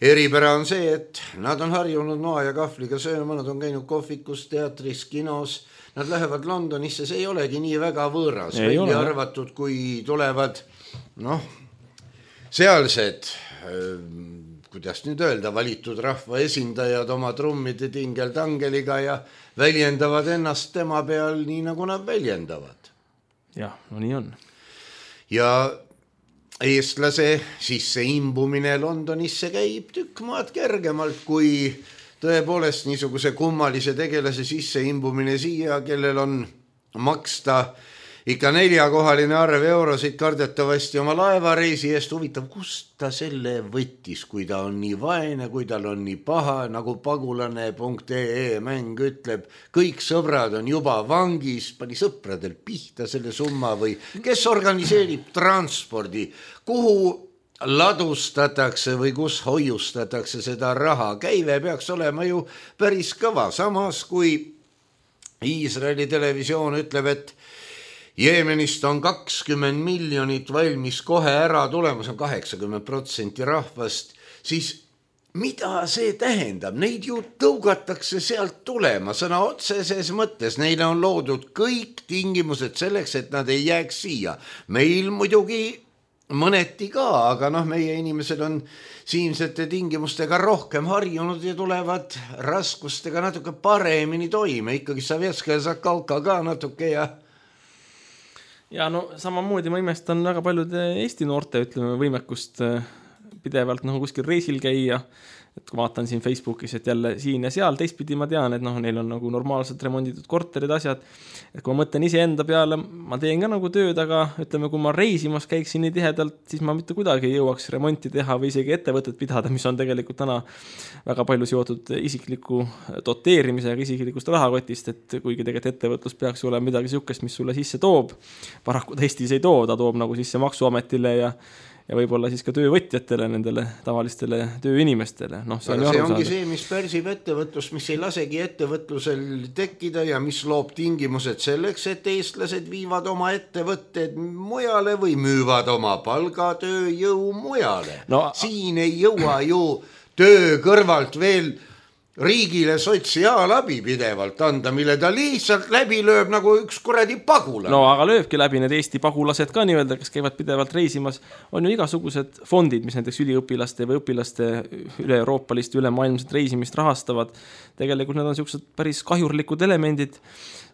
eripära on see, et nad on harjunud noa ja kahvliga sööma, nad on käinud kohvikus, teatris, kinos. Nad lähevad Londonisse, see ei olegi nii väga võõras, välja arvatud, kui tulevad noh, sealsed, kuidas nüüd öelda, valitud rahva esindajad oma trummide tingel-tangeliga ja väljendavad ennast tema peal nii, nagu nad väljendavad. Jah, no nii on. Ja eestlase sisse imbumine Londonisse käib tükk maad kergemalt, kui tõepoolest niisuguse kummalise tegelase sisse imbumine siia, kellel on maksta ikka neljakohaline arv eurosid kardetavasti oma laevareisi eest. Huvitav, kust ta selle võttis, kui ta on nii vaene, kui tal on nii paha, nagu pagulane punkt ee mäng ütleb. Kõik sõbrad on juba vangis, pani sõpradel pihta selle summa või kes organiseerib transpordi, kuhu ladustatakse või kus hoiustatakse seda raha. Käive peaks olema ju päris kõva. Samas kui Iisraeli televisioon ütleb, et Jeemenist on kakskümmend miljonit valmis kohe ära tulemas, on kaheksakümmend protsenti rahvast, siis mida see tähendab? Neid ju tõugatakse sealt tulema, sõna otseses mõttes. Neile on loodud kõik tingimused selleks, et nad ei jääks siia. Meil muidugi mõneti ka, aga noh, meie inimesed on siinsete tingimustega rohkem harjunud ja tulevad raskustega natuke paremini toime. Ikkagi Sovetska ja Zakalka ka natuke ja ja no samamoodi ma imestan väga paljude Eesti noorte, ütleme, võimekust pidevalt nagu kuskil reisil käia. Et kui vaatan siin Facebookis, et jälle siin ja seal, teistpidi ma tean, et noh, neil on nagu normaalselt remonditud korterid, asjad. Et kui ma mõtlen ise enda peale, ma teen ka nagu tööd, aga ütleme, kui ma reisimas käiksin nii tihedalt, siis ma mitte kuidagi ei jõuaks remonti teha või isegi ettevõtet pidada, mis on tegelikult täna väga palju seotud isikliku doteerimisega, isiklikust rahakotist, et kuigi tegelikult ettevõtlus peaks olema midagi sihukest, mis sulle sisse toob. Paraku ta Eestis ei too, ta toob nagu sisse maksuametile ja ja võib-olla siis ka töövõtjatele, nendele tavalistele tööinimestele. No, see, on see ongi see, mis pärsib ettevõtlust, mis ei lasegi ettevõtlusel tekkida ja mis loob tingimused selleks, et eestlased viivad oma ettevõtted mujale või müüvad oma palgatööjõu mujale. No, siin ei jõua ju töö kõrvalt veel riigile sotsiaalabi pidevalt anda, mille ta lihtsalt läbi lööb nagu üks kuradi pagulane. No aga lööbki läbi need Eesti pagulased ka nii-öelda, kes käivad pidevalt reisimas. On ju igasugused fondid, mis näiteks üliõpilaste või õpilaste üle euroopalist, üle maailmset reisimist rahastavad. Tegelikult need on sellised päris kahjurlikud elemendid,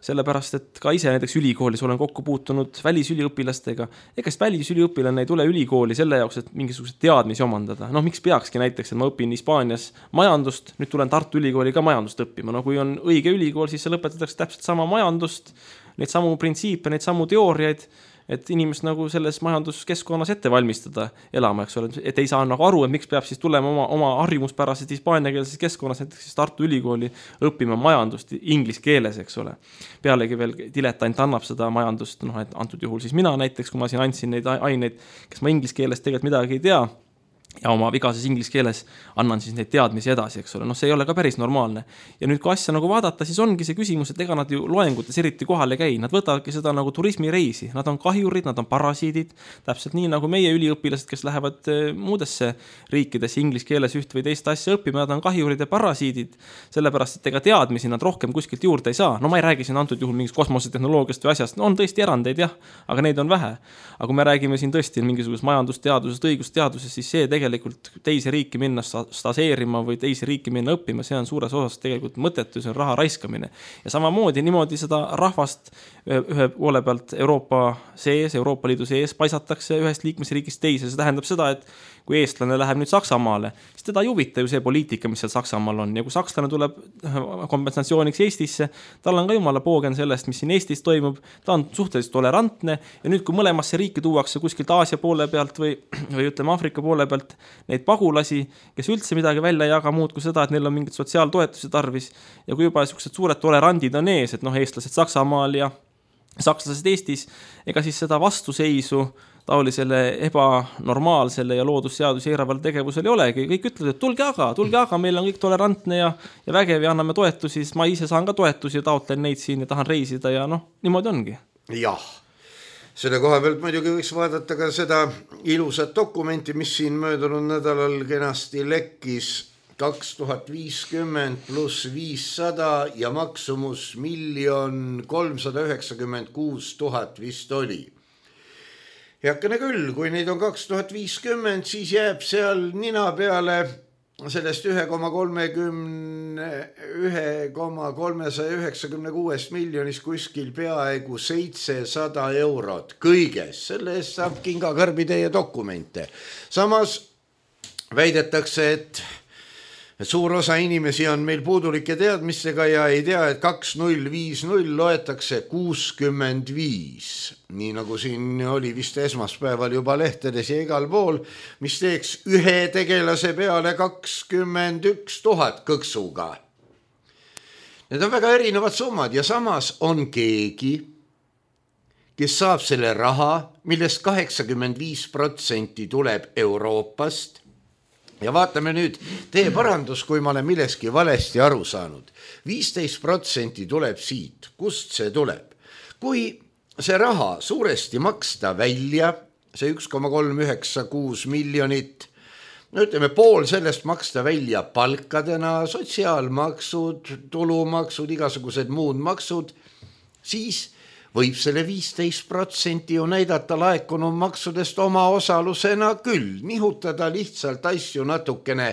sellepärast, et ka ise näiteks ülikoolis olen kokku puutunud välisüliõpilastega. Ekast välisüliõpilane ei tule ülikooli selle jaoks, et mingisugused teadmisi omandada. Noh, miks peakski näiteks, et ma õpin Hispaanias majandust, nüüd tulen Tartu ülikooli ka majandust õppima. No kui on õige ülikool, siis see lõpetatakse täpselt sama majandust, neid samu printsiipe, neid samu teooriaid, et inimest nagu selles majanduskeskkonnas ette valmistada elama, eks ole, et ei saa nagu aru, et miks peab siis tulema oma, oma harjumuspäraselt hispaaniakeelses keskkonnas näiteks Tartu ülikooli õppima majandust inglis keeles, eks ole. Pealegi veel diletant annab seda majandust, noh, et antud juhul siis mina näiteks, kui ma siin andsin neid aineid, kes ma inglis keeles tegelikult midagi ei tea, ja oma vigases inglise keeles annan siis neid teadmisi edasi, eks ole. Noh, see ei ole ka päris normaalne. Ja nüüd, kui asja nagu vaadata, siis ongi see küsimus, et ega nad ju loengutes eriti kohale käi. Nad võtavadki seda nagu turismireisi. Nad on kahjurid, nad on parasiidid. Täpselt nii nagu meie üliõpilased, kes lähevad muudesse riikidesse inglise keeles üht või teist asja õppima, nad on kahjurid ja parasiidid. Sellepärast, et ega teadmisi nad rohkem kuskilt juurde ei saa. No ma ei räägi siin antud juhul mingist kosmosetehnoloogiast või asjast. No on tõesti erandeid, jah, aga neid on vähe. Aga kui me räägime siin tõesti mingisugust majandusteadusest, õigusteadusest, siis see tegelikult teise riiki minna staseerima või teise riiki minna õppima, see on suures osas tegelikult mõttetu, see on raha raiskamine. Ja samamoodi niimoodi seda rahvast ühe poole pealt Euroopa sees, Euroopa Liidu sees paisatakse ühest liikmesriigist teise. See tähendab seda, et kui eestlane läheb nüüd Saksamaale, siis teda ei huvita ju see poliitika, mis seal Saksamaal on. Ja kui sakslane tuleb kompensatsiooniks Eestisse, tal on ka jumala poogen sellest, mis siin Eestis toimub, ta on suhteliselt tolerantne ja nüüd, kui mõlemasse riiki tuuakse kuskilt Aasia poole pealt või, või ütleme Afrika poole pealt neid pagulasi, kes üldse midagi välja ei jaga muud kui seda, et neil on mingid sotsiaaltoetusi tarvis ja kui juba sellised suured tolerandid on ees, et noh, eestlased Saksamaal ja sakslased Eestis, ega siis seda vastuseisu taolisele ebanormaalsele ja loodusseadusi eiraval tegevusel ei olegi. Kõik ütlevad, et tulge aga, tulge aga, meil on kõik tolerantne ja, ja vägev ja anname toetusi, siis ma ise saan ka toetusi ja taotlen neid siin ja tahan reisida ja noh, niimoodi ongi. Jah, selle koha pealt muidugi võiks vaadata ka seda ilusat dokumenti, mis siin möödunud nädalal kenasti lekkis kaks tuhat viiskümmend pluss viissada ja maksumus miljon kolmsada üheksakümmend kuus tuhat vist oli. Heakene küll, kui neid on kaks tuhat viiskümmend, siis jääb seal nina peale sellest üks koma kolmesaja üheksakümne kuus miljonist kuskil peaaegu seitsesada eurot kõiges. Selle eest saab kingakarbi teie dokumente. Samas väidetakse, et suur osa inimesi on meil puudulike teadmistega ja ei tea, et kaks null viis null loetakse kuuskümmend viis. Nii nagu siin oli vist esmaspäeval juba lehtedes ja igal pool, mis teeks ühe tegelase peale kakskümmend üks tuhat kõksuga. Need on väga erinevad summad ja samas on keegi, kes saab selle raha, millest kaheksakümmend viis protsenti tuleb Euroopast. Ja vaatame nüüd, tee parandus, kui ma olen milleski valesti aru saanud. viisteist protsenti tuleb siit. Kust see tuleb? Kui see raha suuresti maksta välja, see üks koma kolm üheksa kuus miljonit, no ütleme pool sellest maksta välja palkadena, sotsiaalmaksud, tulumaksud, igasugused muud maksud, siis võib selle viisteist protsenti ju näidata laekunud maksudest oma osalusena küll, nihutada lihtsalt asju natukene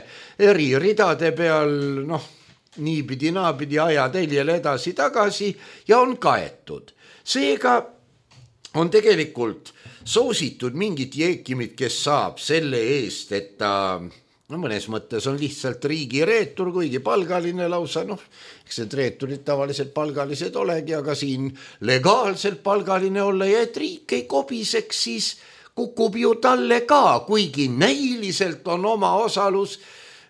eri ridade peal, noh, niipidi, naapidi ajateljele edasi tagasi ja on kaetud. Seega on tegelikult soositud mingit jeekimit, kes saab selle eest, et ta no mõnes mõttes on lihtsalt riigi reetur, kuigi palgaline lausa, noh, eks need reeturid tavaliselt palgalised olegi, aga siin legaalselt palgaline olla ja et riik ei kobiseks, siis kukub ju talle ka, kuigi näiliselt on oma osalus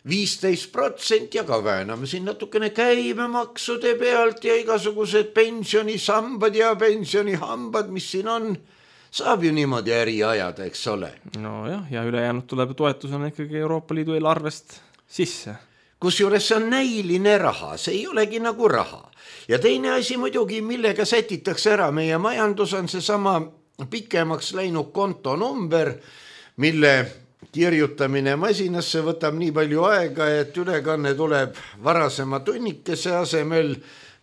viisteist protsenti, aga vääname siin natukene käibemaksude pealt ja igasugused pensionisambad ja pensionihambad, mis siin on, saab ju niimoodi äri ajada, eks ole. No jah, ja ülejäänud tuleb toetusena ikkagi Euroopa Liidu eelarvest sisse. Kusjuures see on näiline raha, see ei olegi nagu raha. Ja teine asi muidugi, millega sätitakse ära meie majandus, on see sama pikemaks läinud kontonumber, mille kirjutamine masinasse võtab nii palju aega, et ülekanne tuleb varasema tunnikese asemel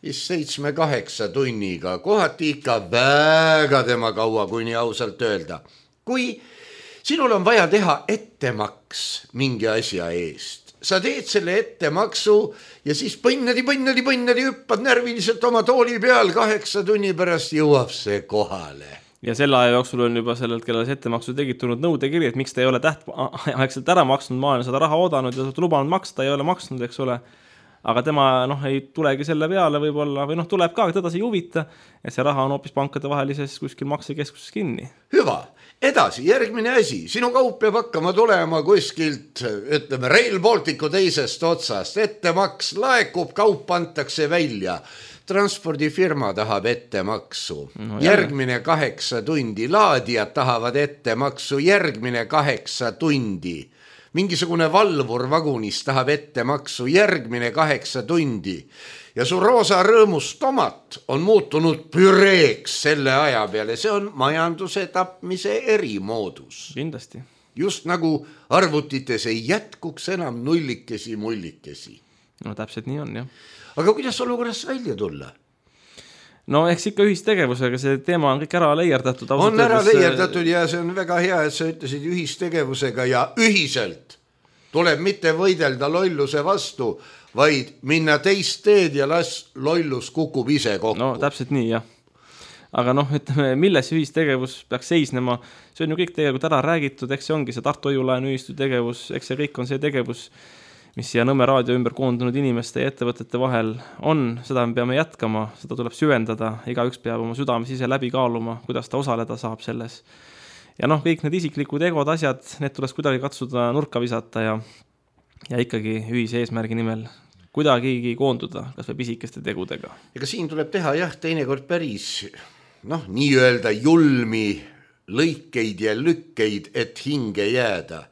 vist seitsme kaheksa tunniga, kohati ikka väga tema kaua, kui nii ausalt öelda. Kui sinul on vaja teha ettemaks mingi asja eest, sa teed selle ettemaksu ja siis põnnadi, põnnadi, põnnadi, hüppad närviliselt oma tooli peal, kaheksa tunni pärast jõuab see kohale. Ja selle aja jooksul on juba sellelt, kellele see ettemaksu tegid tulnud nõudekiri, et miks ta ei ole täht aegselt ära maksnud, ma olen seda raha oodanud ja lubanud maksta, ei ole maksnud, eks ole. Aga tema noh, ei tulegi selle peale võib-olla, või noh, tuleb ka, teda see ei huvita, et see raha on hoopis pankade vahelises kuskil maksekeskuses kinni. Hüva, edasi, järgmine asi. Sinu kaup peab hakkama tulema kuskilt, ütleme, Rail Balticu teisest otsast. Ettemaks laekub, kaup antakse välja. Transpordifirma tahab ettemaksu. No, järgmine kaheksa tundi. Laadijad tahavad ettemaksu. Järgmine kaheksa tundi. mingisugune valvur vagunis tahab ette maksu järgmine kaheksa tundi ja su roosa rõõmus tomat on muutunud püreeks selle aja peale. See on majanduse tapmise erimoodus. Kindlasti. Just nagu arvutites ei jätkuks enam nullikesi mullikesi. No täpselt nii on, jah. Aga kuidas olukorras välja tulla? No eks ikka ühistegevusega, see teema on kõik ära leierdatud. On ära leierdatud ja see on väga hea, et sa ütlesid ühistegevusega ja ühiselt tuleb mitte võidelda lolluse vastu, vaid minna teist teed ja las lollus kukub ise kokku. No täpselt nii, jah. Aga noh, ütleme, milles ühistegevus peaks seisnema, see on ju kõik tegelikult ära räägitud, eks see ongi see Tartu Hoiu-laenu ühistu tegevus, eks see kõik on see tegevus, mis siia Nõmme raadio ümber koondunud inimeste ja ettevõtete vahel on, seda me peame jätkama, seda tuleb süvendada, igaüks peab oma südames ise läbi kaaluma, kuidas ta osaleda saab selles. Ja noh, kõik need isiklikud egod asjad, need tuleks kuidagi katsuda nurka visata ja, ja ikkagi ühise eesmärgi nimel kuidagigi koonduda, kas või pisikeste tegudega. Ega siin tuleb teha jah, teinekord päris noh, nii öelda julmi lõikeid ja lükkeid, et hinge jääda.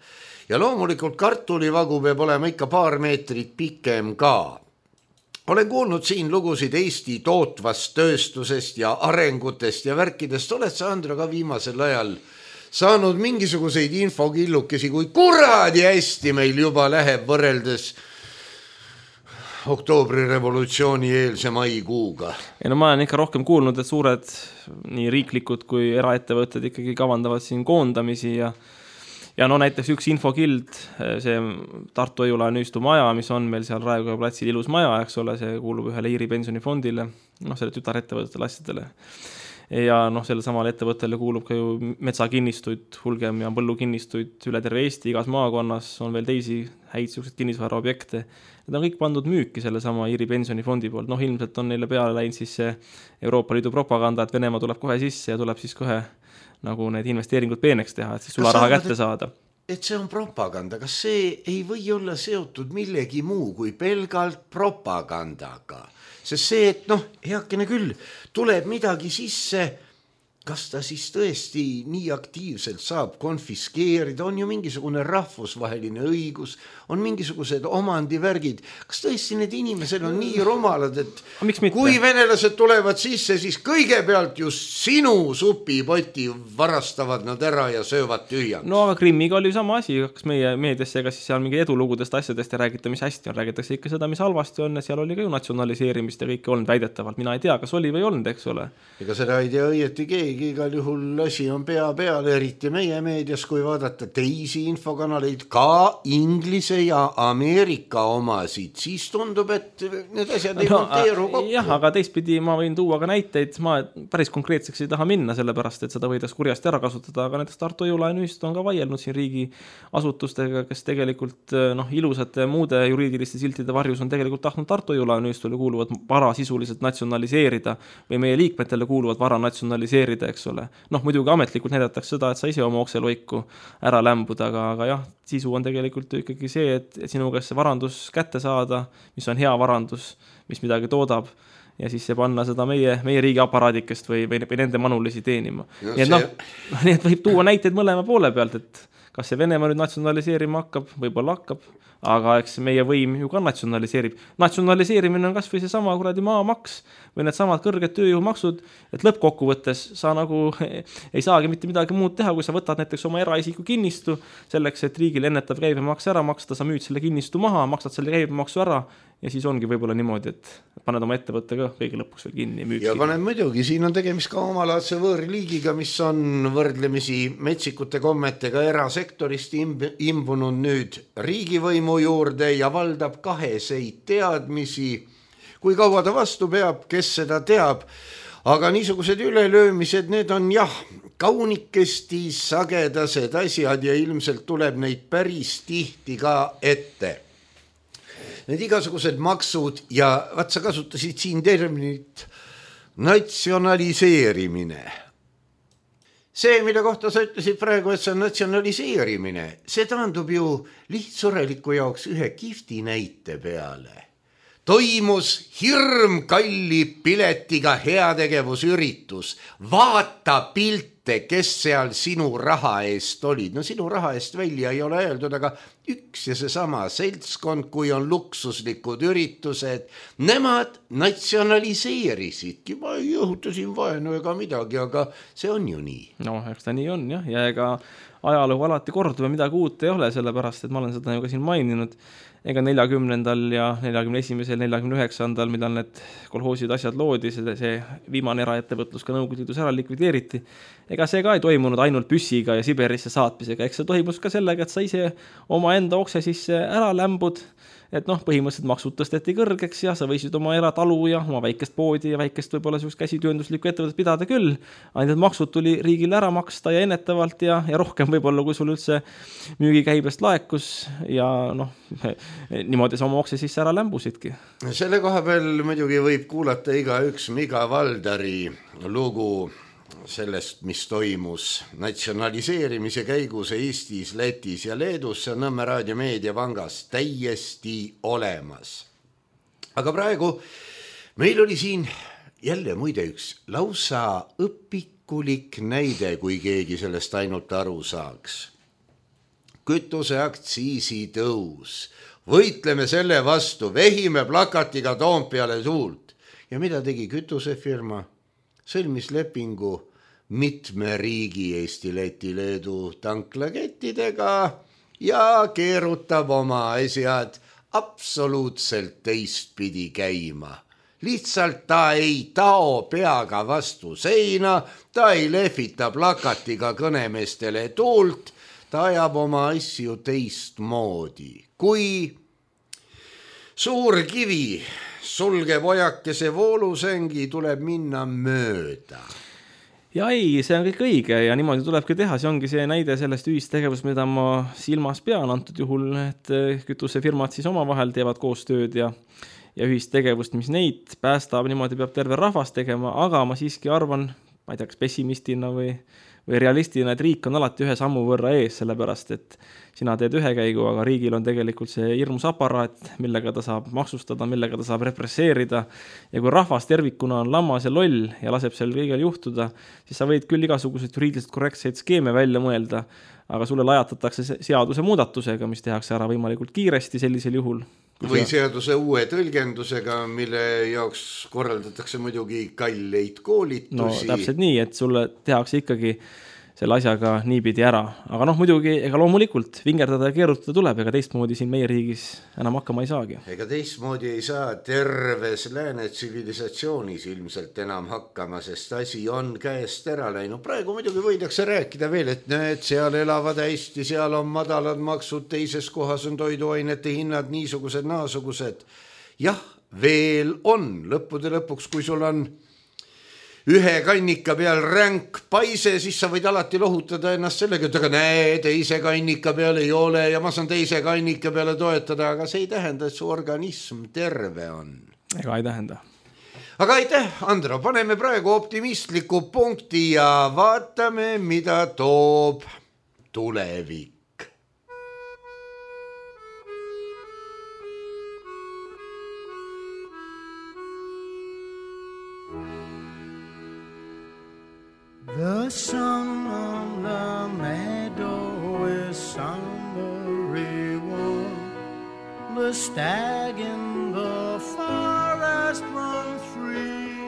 Ja loomulikult kartulivagu peab olema ikka paar meetrit pikem ka. Olen kuulnud siin lugusid Eesti tootvast tööstusest ja arengutest ja värkidest. Oled sa, Andra, ka viimasel ajal saanud mingisuguseid infokillukesi, kui kuradi hästi meil juba läheb võrreldes oktoobri revolutsiooni eelse maikuuga? Ja no ma olen ikka rohkem kuulnud, et suured nii riiklikud kui eraettevõtted ikkagi kavandavad siin koondamisi ja Ja no näiteks üks infokild, see Tartu Hoiu-laenu ühistu maja, mis on meil seal Raekoja platsil ilus maja, eks ole, see kuulub ühele Iiri pensionifondile, noh selle tütarettevõtetele asjadele. Ja noh, selle samale ettevõttele kuulub ka ju metsakinnistuid, hulgem ja põllukinnistuid üle terve Eesti, igas maakonnas on veel teisi häid sellised kinnisvara objekte. Need on kõik pandud müüki selle sama Iiri pensionifondi poolt. Noh, ilmselt on neile peale läinud siis see Euroopa Liidu propaganda, et Venemaa tuleb kohe sisse ja tuleb siis kohe nagu need investeeringud peeneks teha, et siis sulla raha kätte saada. Et see on propaganda, kas see ei või olla seotud millegi muu kui pelgalt propagandaga? Sest see, et noh, heakene küll, tuleb midagi sisse, kas ta siis tõesti nii aktiivselt saab konfiskeerida, on ju mingisugune rahvusvaheline õigus, on mingisugused omandivärgid. Kas tõesti need inimesed on nii rumalad, et kui venelased tulevad sisse, siis kõigepealt just sinu supipoti varastavad nad ära ja söövad tühjaks? No aga Krimmiga oli sama asi, kas meie meediasse, kas siis seal mingi edulugudest asjadest ja räägita, mis hästi on, räägitakse ikka seda, mis halvasti on, ja seal oli ka ju natsionaliseerimist ja kõike olnud väidetavalt. Mina ei tea, kas oli või olnud, eks ole. Ega seda ei tea õieti keegi. Igal juhul asi on pea peale, eriti meie meedias, kui vaadata teisi infokanaleid, ka Inglise ja Ameerika omasid, siis tundub, et need asjad ei no, monteeru kokku. Jah, aga teistpidi ma võin tuua ka näiteid, ma päris konkreetseks ei taha minna, sellepärast, et seda võidaks kurjasti ära kasutada, aga näiteks Tartu Hoiu-laenu ühistu on ka vaielnud siin riigi asutustega, kes tegelikult noh, ilusate muude juriidiliste siltide varjus on tegelikult tahtnud Tartu Hoiu-laenu ühistule kuuluvad vara sisuliselt natsionaliseerida või meie liikmetele kuuluvad vara natsionaliseerida, eks ole. Noh, muidugi ametlikult näidatakse seda, et sa ise oma okseloiku ära lämbuda, aga, aga jah, sisu on tegelikult ikkagi see, et, et sinu käest see varandus kätte saada, mis on hea varandus, mis midagi toodab, ja siis see panna seda meie, meie riigi aparaadikest või, või, või nende manulisi teenima. No, nii et noh, nii et võib tuua näiteid mõlema poole pealt, et kas see Venemaa nüüd natsionaliseerima hakkab, võib-olla hakkab, aga eks meie võim ju ka natsionaliseerib. Natsionaliseerimine on kas või see sama kuradi maamaks või need samad kõrged tööjõumaksud, et lõppkokkuvõttes sa nagu ei saagi mitte midagi muud teha, kui sa võtad näiteks oma eraisiku kinnistu selleks, et riigil ennetav käibemaks ära maksta, sa müüd selle kinnistu maha, maksad selle käibemaksu ära ja siis ongi võib-olla niimoodi, et paned oma ettevõtte ka kõige lõpuks veel kinni. Ja paned muidugi, siin on tegemist ka omalaadse võõrliigiga, mis on võrdlemisi metsikute kommetega erasektorist imbunud nüüd riigivõimu juurde ja valdab kaheseid teadmisi. Kui kaua ta vastu peab, kes seda teab, aga niisugused ülelöömised, need on jah, kaunikesti sagedased asjad ja ilmselt tuleb neid päris tihti ka ette. Need igasugused maksud ja vaat sa kasutasid siin terminit natsionaliseerimine. See, mille kohta sa ütlesid praegu, et see on natsionaliseerimine, see taandub ju lihtsureliku jaoks ühe kihvti näite peale. Toimus hirm kalli piletiga heategevusüritus. Vaata pilti kes seal sinu raha eest olid. No sinu raha eest välja ei ole öeldud, aga üks ja seesama seltskond, kui on luksuslikud üritused, nemad natsionaliseerisidki. Ma ei õhuta siin vaenu ega midagi, aga see on ju nii. No, eks ta nii on, jah. Ja ega ajalugu alati kordub ja midagi uut ei ole, sellepärast, et ma olen seda ju ka siin maininud. Ega neljakümnendal ja neljakümne esimesel, neljakümne üheksandal, millal need kolhoosid asjad loodi, see, see viimane eraettevõtlus ka Nõukogude Liidus ära likvideeriti. Ega see ka ei toimunud ainult püssiga ja Siberisse saatmisega, eks see toimus ka sellega, et sa ise oma enda okse sisse ära lämbud, et noh, põhimõtteliselt maksud tõsteti kõrgeks ja sa võisid oma eratalu ja oma väikest poodi ja väikest võib-olla sellist käsityönduslikku ettevõtet pidada küll. Ainult maksud tuli riigile ära maksta ja ennetavalt ja, ja rohkem võib-olla, kui sul üldse müügikäibest laekus ja noh, niimoodi sa oma okse sisse ära lämbusidki. Selle koha peal muidugi võib kuulata iga üks Miga Valdari lugu sellest, mis toimus natsionaliseerimise käigus Eestis, Lätis ja Leedus, see on Nõmme Raadio Meediapangas täiesti olemas. Aga praegu meil oli siin jälle muide üks lausa õpikulik näide, kui keegi sellest ainult aru saaks. Kütuseaktsiisi tõus. Võitleme selle vastu, vehime plakatiga Toompeale tuult. Ja mida tegi kütusefirma? Sõlmis lepingu mitme riigi Eesti, Läti, Leedu tanklakettidega ja keerutab oma asjad absoluutselt teistpidi käima. Lihtsalt ta ei tao peaga vastu seina, ta ei lehvita plakatiga kõnemeestele tuult, ta ajab oma asju teistmoodi. Kui suur kivi sulgeb ojakese voolusängi, tuleb minna mööda. Ja ei, see on kõik õige ja niimoodi tulebki teha, see ongi see näide sellest ühistegevust, mida ma silmas pean antud juhul, et kütusefirmad siis omavahel teevad koostööd ja, ja ühistegevust, mis neid päästab, niimoodi peab terve rahvas tegema, aga ma siiski arvan, ma ei tea, kas pessimistina või, või realistina, et riik on alati ühe sammu võrra ees, sellepärast et sina teed ühe käigu, aga riigil on tegelikult see hirmus aparaat, millega ta saab maksustada, millega ta saab represseerida. Ja kui rahvas tervikuna on lammas ja loll ja laseb seal kõigel juhtuda, siis sa võid küll igasugused juriidiliselt korrektseid skeeme välja mõelda, aga sulle lajatatakse seaduse muudatusega, mis tehakse ära võimalikult kiiresti sellisel juhul. Või seaduse uue tõlgendusega, mille jaoks korraldatakse muidugi kalleid koolitusi. No täpselt nii, et sulle tehakse ikkagi selle asjaga niipidi ära. Aga noh, muidugi, ega loomulikult vingerdada ja keerutada tuleb, ega teistmoodi siin meie riigis enam hakkama ei saagi. Ega teistmoodi ei saa terves lääne tsivilisatsioonis ilmselt enam hakkama, sest asi on käest ära läinud. Praegu muidugi võidakse rääkida veel, et need seal elavad hästi, seal on madalad maksud, teises kohas on toiduainete hinnad niisugused, naasugused. Jah, veel on lõppude lõpuks, kui sul on ühe kannika peal ränk paise, siis sa võid alati lohutada ennast sellega, et aga näe, teise kannika peal ei ole ja ma saan teise kannika peale toetada, aga see ei tähenda, et su organism terve on. Ega ei tähenda. Aga aitäh, Andro, paneme praegu optimistliku punkti ja vaatame, mida toob tulevik. The sun on the meadow is summery warm. The stag in the forest runs free.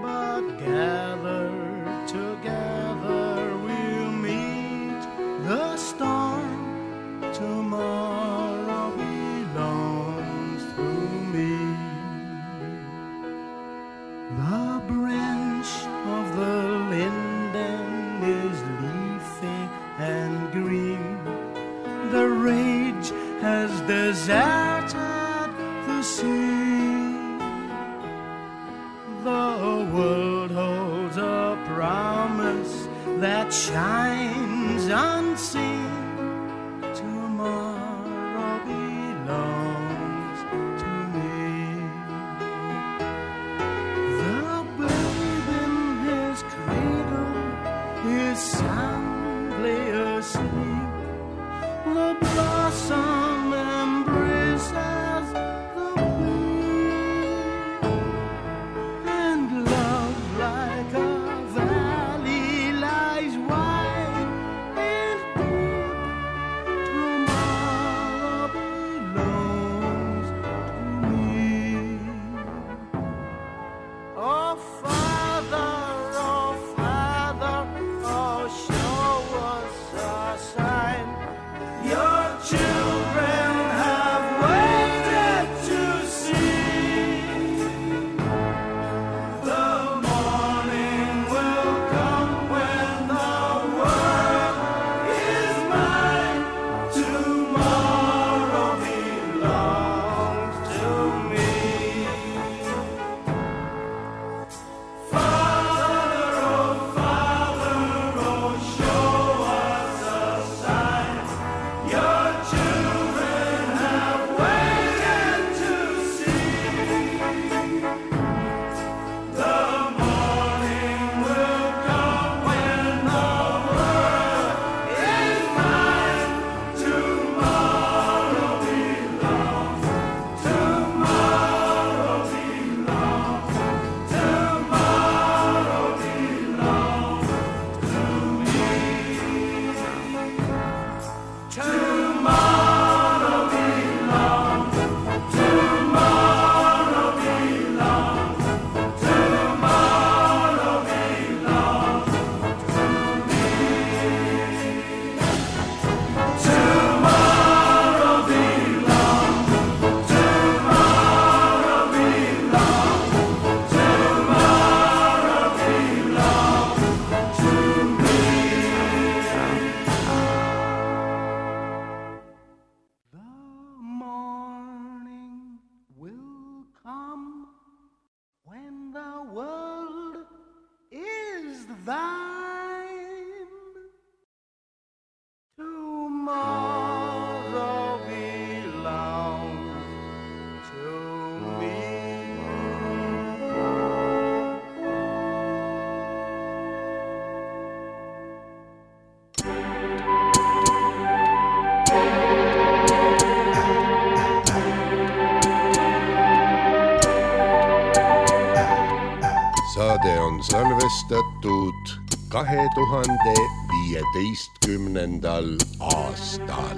But gathered together we'll meet the storm. Tomorrow belongs to me. The branch of the linden is leafy and green. The rage has deserted the sea. The world holds a promise that shines unseen. Tomorrow belongs to me. The babe in his cradle is soundly asleep. The blossom embraces the babe, and love like a is thine. Tomorrow belongs to me. Saade on salvestatud kahe tuhande viieteistkümnendal aastal.